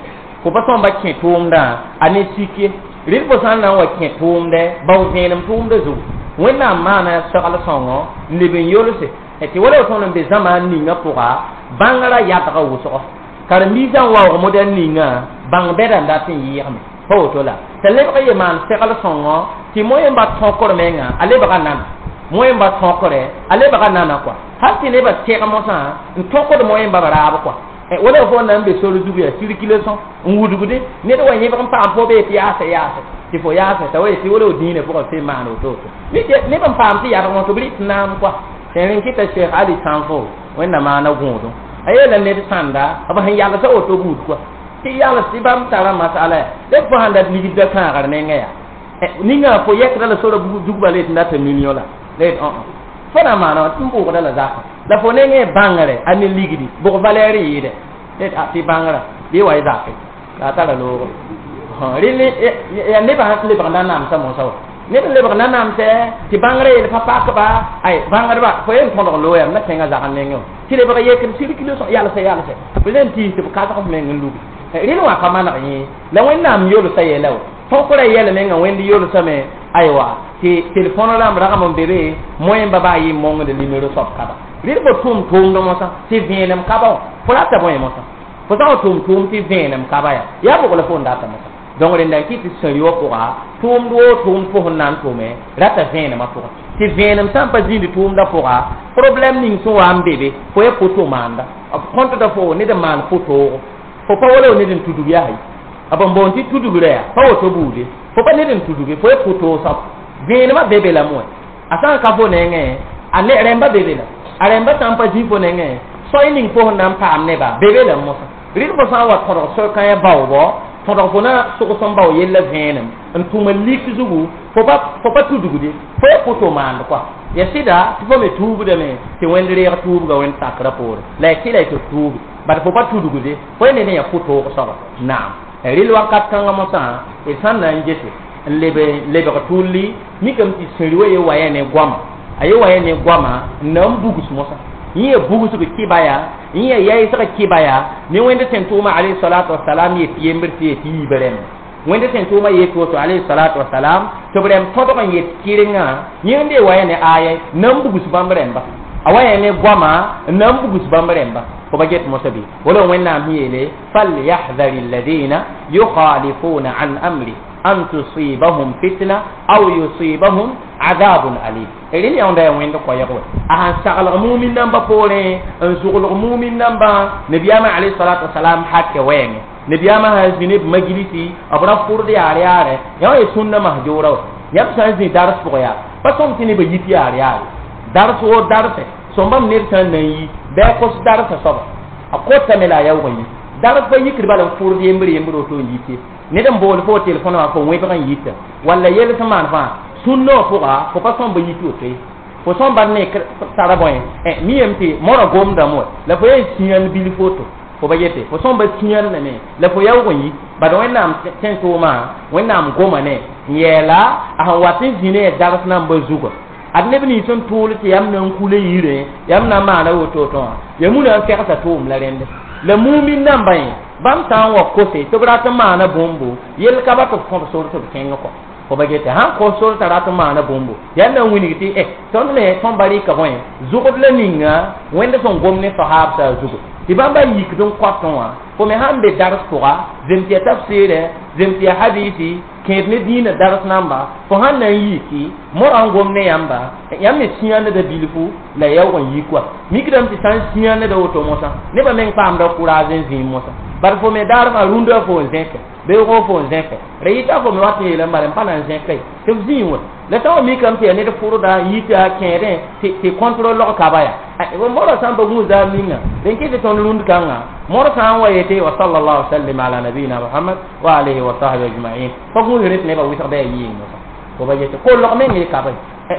fo pa sõmba kẽ tʋʋmdã a ne sik ye rɩl fo sã n na n wa kẽ tʋʋmdɛ bao vẽenem tʋʋmda zugu wẽnnaam maana segl sõngo n leb n yolse tɩ wala tõnd n be zãmaan ninga pʋga bãngrã yadga wʋsgo karen-biisã n waoog modɛl ninga bãng bɛda n dat n yɩɩgme pa woto la t'a lebg ye maan segl sõngo tɩ moẽmba tõkr menga a lebga nana moẽmba tõkre a lebga nana kɔa hal tɩ nebã tɛg mosã n tõkd moẽmba b raab kɔa wala fo na n be sor zug yaa sirkulation n wudgde ned wa yẽbg n paam fo bee tɩ yaase yaase tɩ fo yaase t'a wa yetɩ wala dĩinã pʋgã fo maan woto-woto neb n paam tɩ yadg wã tɩ b rɩt naam kɔa sẽn kɩta Cheikh Ali Sãnfo wẽnnaam maana gõodõ a yeela ned sãnda b sẽn yalsa woto buud kɔa tɩ yals tɩ bãmb tara masala ya d fo sãn dat ligdã kãagr nengã yaa ninga fo yɛkda la sora zugba la yetɩ data million la la yet fo na maana wã tɩ n bʋʋgda la zakã la fo nengẽ bãngre a ne ligdi bʋg valɛɛr yɩɩdɛ tɩ bãngrã bɩ wa y zake la a tara loogo rɩl yaa nebã sẽn lebg na namsa mosã wa ned n lebg na namsɛ tɩ bãngrã yel pa pakba ay bãngdba fo yen tõdg looyame na tẽngã zag n nengẽ wã tɩ lebg yekd circulation yalsɛ yalsɛ b len tiis tɩ b kasg f meng n lugi rɩl wã pa maneg yẽ la wẽnnaam yolsa yɛla wa tõkrã yɛl menga wẽnd yolsame aywa tɩ telefon rãmb ragm n be be moẽmba baa yɩ mongd nimero soab kaba rɩl fo tʋʋm tʋʋmd mosã tɩ vẽenem kaba wã fo rata bõe mosã fo sã n tʋʋm tʋʋm tɩ vẽenem kaba yaa yaa bʋg la fo n data mosã donc rẽnda n kɩ tɩ sẽn wã pʋga tʋʋmd woo tʋʋmd fo sẽn na n tʋme rata vẽenemã pʋgẽ tɩ vẽenem sã n pa zĩnd tʋʋmdã pʋga problɛm ning sẽn wa n be be fo ya foto maanda b kõtda fo ned n maan fotoogo fo pa wala ned n tudg yaa b n boond tɩ tudgrã yaa pa woto buude fo pa ned n tudge fo ya fotoog soab vẽenemã be be lame wã a sã n ka fo nengẽ a ne rẽmba be be la a rẽmba sã n pa zĩ fo nengẽ soay ning fo sẽn na n paam neba be be la mosã rɩl fo sã n wa tõdg soy-kãyã baoobɔ tõdg fo na sogs n bao yella vẽenem n tʋm n lik zugu fo pa tudgde fo ya foto maand kɔa ya sɩda tɩ fo me tuubdame tɩ wẽnd reeg tuubga wẽnd sakrã poore la ya kɩla tɩ tuubi bad fo pa tudgde fo ya ned n ya fotoog soaba naam rɩl wakat kãngã mosã d sã n na n gese n lebg tʋlli mikame tɩ sẽri wa ye waya ne goama a ye waya ne goama n na n bugs mosã yẽ ya bugsg kɩba yaa yẽ ya yaɩsg kɩba yaa ne wẽnd sẽn tʋʋma alayhi salatu wasalam yet yembr tɩ yet yiibã rẽmba wẽnd sẽn tʋʋma yet woto alayhi salatu wasalam tɩ b rẽmb tõdg n yet kɩrengã yẽnd ye waya ne aya na n bugs bãmb rẽmba a waya ne goama n na n bugs bãmb rẽmba fo pa get mosã bɩ wala wẽnnaam sẽn yeele falyahdhar alladina yukhalifuna an amri An tusibahum fitna aw yusibahum adabun alim. Rẽnd yãonda yaa wẽnd koɛɛg wɛ a sãn saglg mumin nambã poorẽ n zʋglg mumin nambã nabiyaamã alayhi salatu wasalam hakɛ wɛɛngẽ nabiyaamã sãn zĩ ne b majlisi b ra fʋrd yaar yaarɛ yã wã ye sũnna mahjoora wa yãmb sã n zĩ dars pʋgẽ yaa pa sõm tɩ nebã yit yaar yaare dars wo darse sõmbam ned sã n na n yi bɩ a kos darsa soaba a kotame la a yaoog n yi dars pa yikd bala n fʋrd yembr yembr woto n yit ye ned n bool fo telefon wã fo wẽbg n yita walla yel sẽn maan fãa sũnnã wã pʋga fo pa sõmba yit woto ye fo sõmba ne tara bõe mi yem tɩ moarã gomdame wa la fo yen sĩyãnd bilf woto fo ba yete fo sõmba sĩyãndame la fo yaoog n yi bad wẽnnaam tẽn-tʋʋmã wẽnnaam goma ne n yɛɛla a sẽn wat n zĩ ne dars nambã zugã ad neb nins n tʋʋl tɩ yãmb na n kula yirẽ yãmb na n maana woto-woto wã ya muna n fɛgsa tʋʋm la rẽnde la mumin nambã yẽ bãmb sã n wa kose tɩ b rat n maana bũmbu yell ka ba tɩ b kõb sor tɩ b kẽng kɔ fo ba gete sãn kos sor t'a rat n maana bũmbu yaa na n wilg tɩ tõnd me tõnd ba rɩka bõe zʋgd la ninga wẽnd sẽn gom ne sahaabsã zugu tɩ bãmba yikd n kõtẽ wã fo me sãn be dars pʋga zems ya tafsɩɩrɛ zems ya hadisi kẽed ne dĩinã dars namba fo sãn na n yiki morã n gom ne yãmba yãmb me sĩyãndda bilfu la yaoog n yik wa mikdame tɩ sã n sĩyãndda woto mosã nebã meng paamda kʋraaz n zĩig mosã bad fo me daarmã rũndã fo n zẽke beoogõ fo n zẽke ra yɩta fo me wat n yeelame bala n pa na n zẽka ye tɩ b zĩig wã la sã wa mikame tɩ yaa ned fʋrda n yita kẽedẽ tɩ contrôle log kaba yaa morã sã n pa gũus daar ninga dẽn kɩ tɩ tõnd rũnd kãngã mor sã n wa yete wa sallallahu sallim ala nabiyina muhammad wa alihi wa sahbi ajmain pa gũus rẽ tɩ nebã wɩsgda yaa yɩɩng mosã fo ba yete kollg meng ye kaba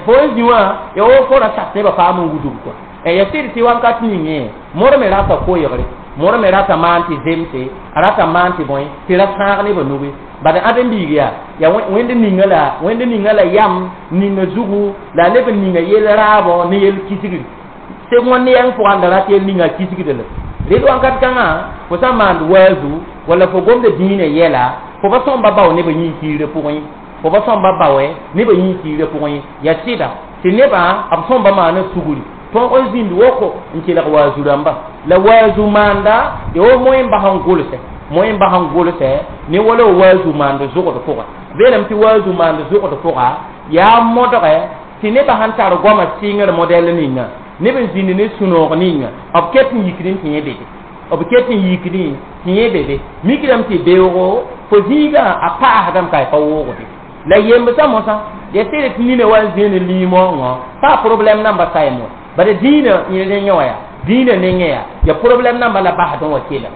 fo n zĩ wã ya wo fo ra sas nebã paam n wudg kɔa ya sɩd tɩ wakat ningẽ mor me rata koeegre mor me rata maan tɩ zemse a rata maan tɩ bõe tɩ ra sãag nebã nuge bad ãdem-biig yaa ya wẽnd ninga la wẽnd ninga la yam ninga zugu la neb n ninga yel raabõ ne yel kisgri seg wãn ne yãng pʋgã n da rat yel ninga kisgda la red wakat kãngã fo sã n maand waazu walla fo gomda dĩinã yɛla fo pa sõmba bao nebã yĩn-kiirã pʋgẽ ye fo pa sõmba baoɛ nebã yĩn-kiirã pʋgẽ ye yaa sɩda tɩ nebã b sõmba maana sugri tõog n zĩnd woko n kelg waazu rãmba la waazu maanda ya wo moẽ n bas n gʋlsɛ moẽ n bas n gʋlsɛ ne wala waazu maand zʋgd pʋga beelame tɩ waazu maand zʋgd pʋga yaa modgɛ tɩ nebã sãn tar goamã sɩngr modɛl ninga neb n zĩnd ne sũ-noog ninga b ket n yikd n tɩ yẽ bebe b ket n yikd tɩ yẽ bebe mikdame tɩ beoogo fo zĩigã a paasdame ka pa woogde la yembsã mosã ya sɩd tɩ nina wa n zĩnd liimoongõ pa problème namba sayem wa bala dĩinã nengẽ wã yaa dĩinã nengẽ yaa ya problème namba la basd n wa kelg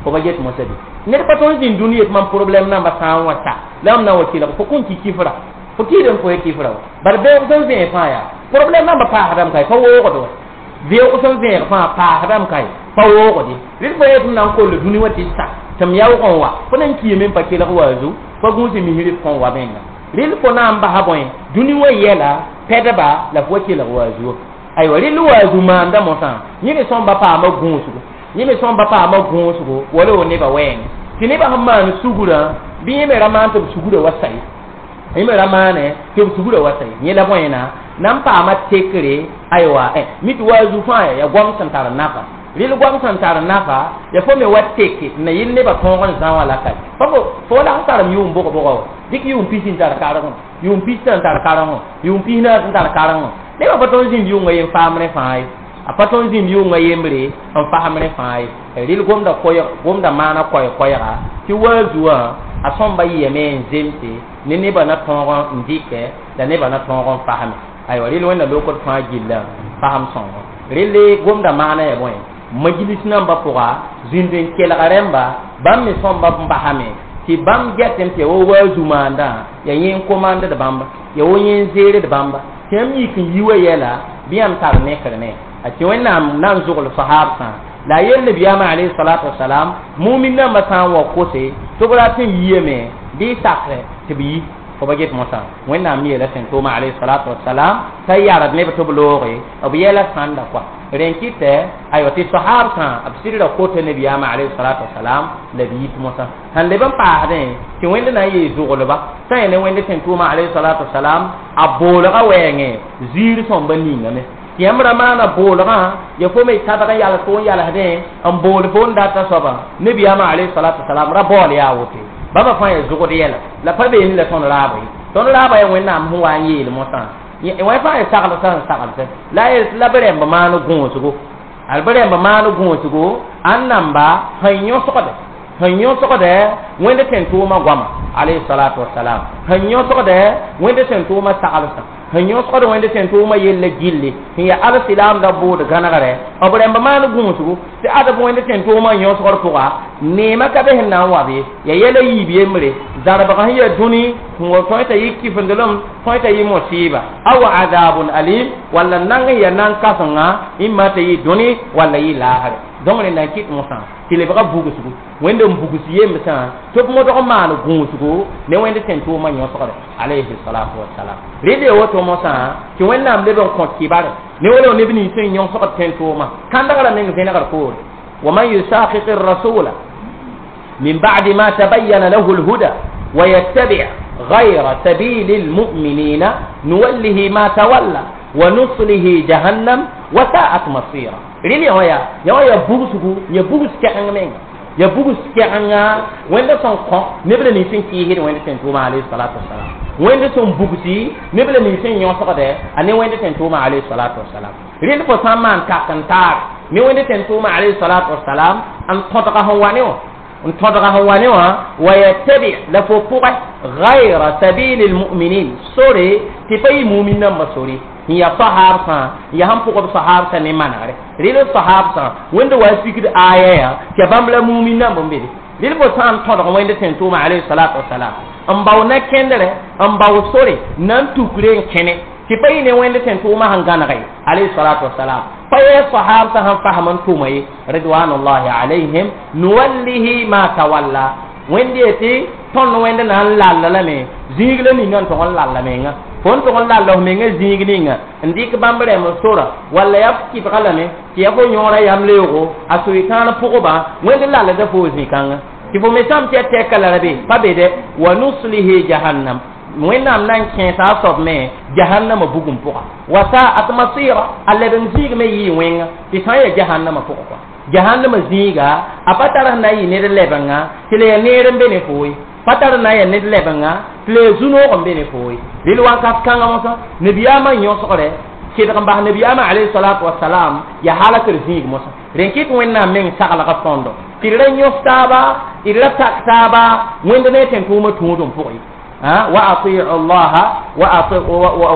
fo ba get mosã bɩ ned pa tõnd zĩnd dũni yet mam problème namba sã n wa sa la mam na n wa kelg fo kõn ki kifra fo kiid n fo ye kifra wa bala beoog sẽn zẽeg fãa yaa problème namba paasdame ka pa woogd wa beoog sẽn zẽeg fãa paasdame ka pa woogde rɩd fo yet m na n koll dũni wã tɩ sa tɩ m yaoog n wa fo na n kiime n pa kelg waazu pa gũus misr f kõn wa menga rɩl fo na n basa bõe dũni wã yɛla pɛdba la fo wa kelg waazu aywa rɩl waazu maanda mosã yẽ me sõmba paama gũusgo yẽ me sõmba paama gũusgo wala wo nebã wɛɛngẽ tɩ nebã sẽn maan sugrã bɩ yẽ me ra maan tɩ b sugrã wa sa ye yẽ me ra maane tɩ b sugrã wa sa ye yẽ la bõena na n paama tekre aywa mi tɩ waazu fãa ya goam sẽn tar nafa rɩl goam sẽn tar nafa ya fo me wa teke n na yɩl nebã tõog n zã wã la ka fo la sẽn tarem yʋʋm bʋg-bʋga wa dɩk yʋʋm pis n tar karengõ yʋʋm pis n tar karengõ yʋʋm pis naas n tar karengõ nebã pa tõnd zĩnd yʋnga yen faamrẽ fãa ye a pa tõnd zĩnd yʋnga yembre n fasemrẽ fãa ye rɩl gomda koɛɛg gomda maana koɛɛ-koɛɛga tɩ waazu wã a sõmba yɩame n zemse ne nebã na tõog n dɩkɛ la nebã na tõog n fasme aywa rɩl wẽnna lokd fãa gillã fasem sõngo rɩl gomda maana ya bõe majlis nambã pʋga zĩnd n kelga rẽmba bãmb me sõmba n basame tɩ bãmb gɛtẽ tɩ ya wa waazu maandã ya yẽ n komandd bãmba ya wo yẽ n zeered bãmba tɩ yãmb yik n yi wa yɛla bɩ yãmb tar nekr ne a tɩ wẽnnaam na n zʋgl sahaabsã la a yel nabiyaamã alayhi salatu wasalam mumin nambã sã n wa kose tɩ b rat n yiame bɩ sakre tɩ b yi fo ba get mosã wẽnnaam me yeela sẽn tʋʋma alayhi salatu wasalam t'a yard neb tɩ b looge b yɛla sãnda kɔa rẽn kɩtɛ aywa tɩ sahaabsã b sɩdra kota nabiyaamã alayhi salatu wasalam la b yit mosã sãn leb n paasdẽ tɩ wẽnd na n yee zʋglba sã n ne wẽnd sẽn tʋʋma alayhi salatu wasalam a boolgã wɛɛngẽ ziir sõmba ningame tɩ yãmb ra maana boolgã ya fo me tadg n yals fo n yalsdẽ n bool fo n data soaba nabiyaamã alayhi salatu wasalam ra baool yaa woto Bãmba fãa yaa zʋgd yɛla la pa beene la tõnd raaba ye tõnd raaba yaa Wẽnnaam sẽn wa n yeel mosã wẽ fãa yaa saglsã n saglsẽ la a yel tɩ la b rẽmb maan gõosgo al b rẽmb maan gõosgo a n namba sẽn yõsgde sẽn yõsgdɛ Wẽnd tẽn-tʋʋma goama alayhi salatu wasalam sẽn yõsgdɛ Wẽnd tẽn-tʋʋma saglsã sẽn yõsgd Wẽnd tẽn-tʋʋma yella gilli sẽn yaa alsilaamda bʋʋd gãnegrɛ b rẽmb maan gũusgo tɩ ad b Wẽnd tẽn-tʋʋma n yõsgd pʋga neemã ka be sẽn na n wa be ya yɛla yiib yembre zarbg sẽn yaa dũni sẽn wa tõe t'a yɩ kifendelem tõe t'a yɩ mosiiba aw azabun alim walla nang n yaa nan kãsenga ĩmma t'a yɩ dũni walla yɩ laasre donc rẽnd na n kɩt mosã tɩ lebga bugsgo Wẽnd n bugs yemsã tɩ b modg n maan gũusgo ne Wẽnd tẽn-tʋʋmã yõsgre alayhi salatu wasalam rẽnd yaa woto mosã tɩ Wẽnnaam leb n kõ kibare ne wala neb nins sẽn yõsgd tẽn-tʋʋmã kãndgrã meng vẽnegr poore ومن يشاقق الرسول من بعد ما تبين له الهدى ويتبع غير سبيل المؤمنين نوله ما تولى ونصله جهنم وساءت مصيرا ريلي هويا يا يا بوغسغو يا بوغس كان مين يا بوغس كان وين سون كون نبل ني سين كي هير وين سين توما عليه الصلاه والسلام وين سون بوغسي نبل ني سين يوسقده اني وين سين توما عليه الصلاه والسلام ريل فو سامان كاكنتار ne wẽnd tẽn-tʋʋma alayhi salatu wasalam n tõdga sẽn wa ne wã n tõdga sẽn wa ne wã wa yattabi la fo pʋgẽ gayra sabili lmuminin sore tɩ pa yɩ mumin nambã sore n yaa sahaabsã n yaa sẽn pʋgb sahaabsã ne manegre rɩl sahaabsã wẽnd wa sigd aya yaa tɩ ya bãmb la mumin namba n be de rɩl fo sã n tõdg wẽnd tẽn-tʋʋma alayhi salatu wasalam n bao na-kẽndrɛ n bao sore na n tukre n kẽne tɩ pa yɩ ne wẽnd tẽn-tʋʋmã sẽn gãnege alayhi salatu wasalam pa yɛ sahaabsã sẽn fasem n tʋma ye ridwanullahi alayhim nuwallihi ma tawalla wẽnd yetɩ tõnd wẽnd na n lalla lame zĩig la ninga n tʋg n lalla menga fo n tʋg n lalla f menga zĩig ninga n dɩk bãmb rẽmb sora walla yaa f kɩbga lame tɩ yaa fo yõora yam leoogo a soɩtãan pʋgba wẽnd lallda fo zĩ-kãnga tɩ fo me sãm tɩ ya tɛka la ra be pa be dɛ wa nuslihi jahannam Wẽnnaam na n kẽesa a soab me jahannama bugum pʋga wa sa'at masira a leb n zĩig me yɩɩ wẽnga tɩ sã n yaa jahannama pʋgẽ kɔa jahannama zĩiga a pa tar sẽn na n yɩ ned lebenga tɩ la yaa neer n be ne foo ye pa tar na n yaa ned lebenga tɩ la yaa zu-noog n be ne foo ye rel wakat kãngã mosã nabiyaamã n yõsgre kedg n bas nabiyaamã alayhi salatu wasalam yaa halakr zĩig mosã rẽn kɩt Wẽnnaam meng saglga tõndo tɩ d ra yõs taaba d ra tak taaba Wẽnd ne tẽn-tʋʋmã tũud n pʋgẽ وأطيعوا الله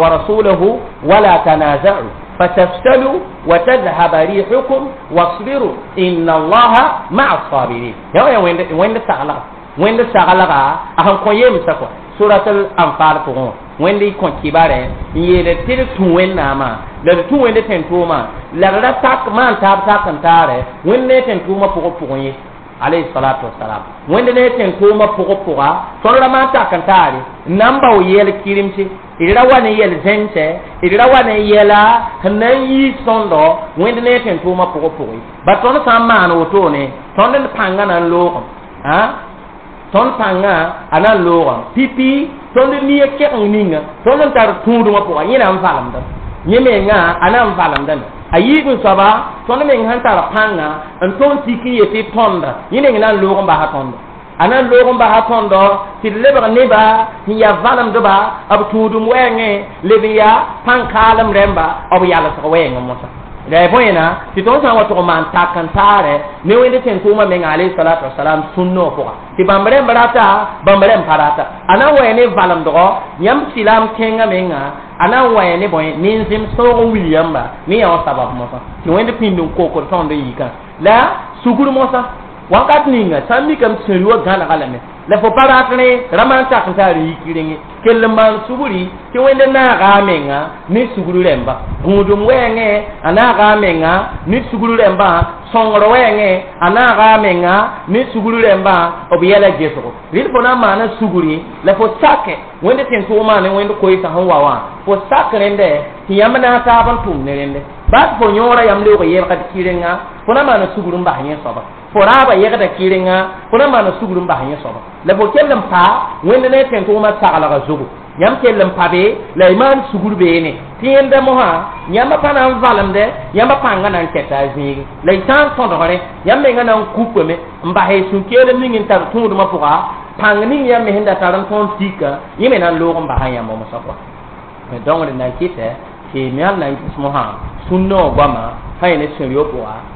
ورسوله ولا تنازعوا فتفشلوا وتذهب ريحكم واصبروا إن الله مع الصابرين يا وين وين سغلغ وين سغلغ أهم كويم سكوا سورة الأنفال فقون وين دي كون كبار يل تير توين ناما لا توين دي تنتوما لا لا تاك ما تاب تاك انتاره وين دي تنتوما فوق فوق alayhi salatu wassalam wẽnd ne tẽn-tʋʋmã pʋgã pʋga tõnd ra maan tak n taare n na n bao yɛl kirimse d ra wa ne yɛl zẽmsɛ d ra wa ne yɛla sẽn na n yiis tõndo wẽnd ne tẽn-tʋʋmã pʋgã pʋgẽ ba tõnd sã n maan wotone tõnd d pãngã na n loogem tõnd pãngã a na n loogem pipi tõnd nia kegeng ninga tõnd n tar tũudmã pʋga yẽ na n valemdame yẽ menga a na n valemdame a yiib n soaba tõnd meng sẽn tar pãnga n tõnd tik n yetɩ tõnda yẽ meng na n loog n basa tõndo a na n loog n basa tõndo tɩ d lebg neba sẽn yaa valemdba b tũudum wɛɛngẽ leb n yaa pãn-kaalem rẽmba b yalsg wɛɛngẽ mosã la ya bõena tɩ tõnd sã n wa tʋg n maan tak n taare ne wẽnd tẽn-tʋʋmã menga alayhi salatu wasalam sũnnã pʋga tɩ bãmb rẽmb rata bãmb rẽmb pa rata a na n wa ne valemdgɔ yãmb silaam kẽngã menga a na n wa ne bõe nin-zẽm sõog n wil yãmba ne yã wã sabab mosã tɩ wẽnd pĩnd n kokd tõnd n yikã la sugr mosã wakat ninga sã n mikame tɩ sẽn wã gãnega lame la fo pa rat rẽ ra maan tak n taar yik renge kell n maan sugri tɩ wẽnd naaga a menga ne sugr rẽmba gũudum wɛɛngẽ a naaga a menga ne sugr rẽmbã sõngr wɛɛngẽ a naaga a menga ne sugr rẽmbã b yɛla gesgo rɩd fo na n maana sugri la fo sake wẽnd tẽn-tʋʋmã ne wẽnd koeesã sẽn wa wã fo sak rẽndɛ tɩ yãmb na n taab n tʋm ne rẽndɛ baa tɩ fo yõora yãmb leoog yelgd kɩrenga fo na maana sugr n bas yẽ soaba fo raaba yegda kɩrenga fo na maana sugr n bas yẽ soaba la fo kell n pa wẽnd ne tẽn-tʋʋmã saglga zugu yãmb kell n pa be la y maan sugr beene tɩ yẽnda mosã yãmb pa na n valemdɛ yãmb pãngã na n kɛta a zĩigi la y sã n tõdgre yãmb menga na n kupame n bas y sũ-keelem ning n tar tũudmã pʋga Pãng ning yãmb me sẽn da tar n tõnd tika, yẽ me na n loog n basa yãmb mosã kɔa. Donc d na n kɩtɛ tɩ me yãmb na n ges mosã sũnna wã goama sã yẽ ne sẽn-yo pʋga.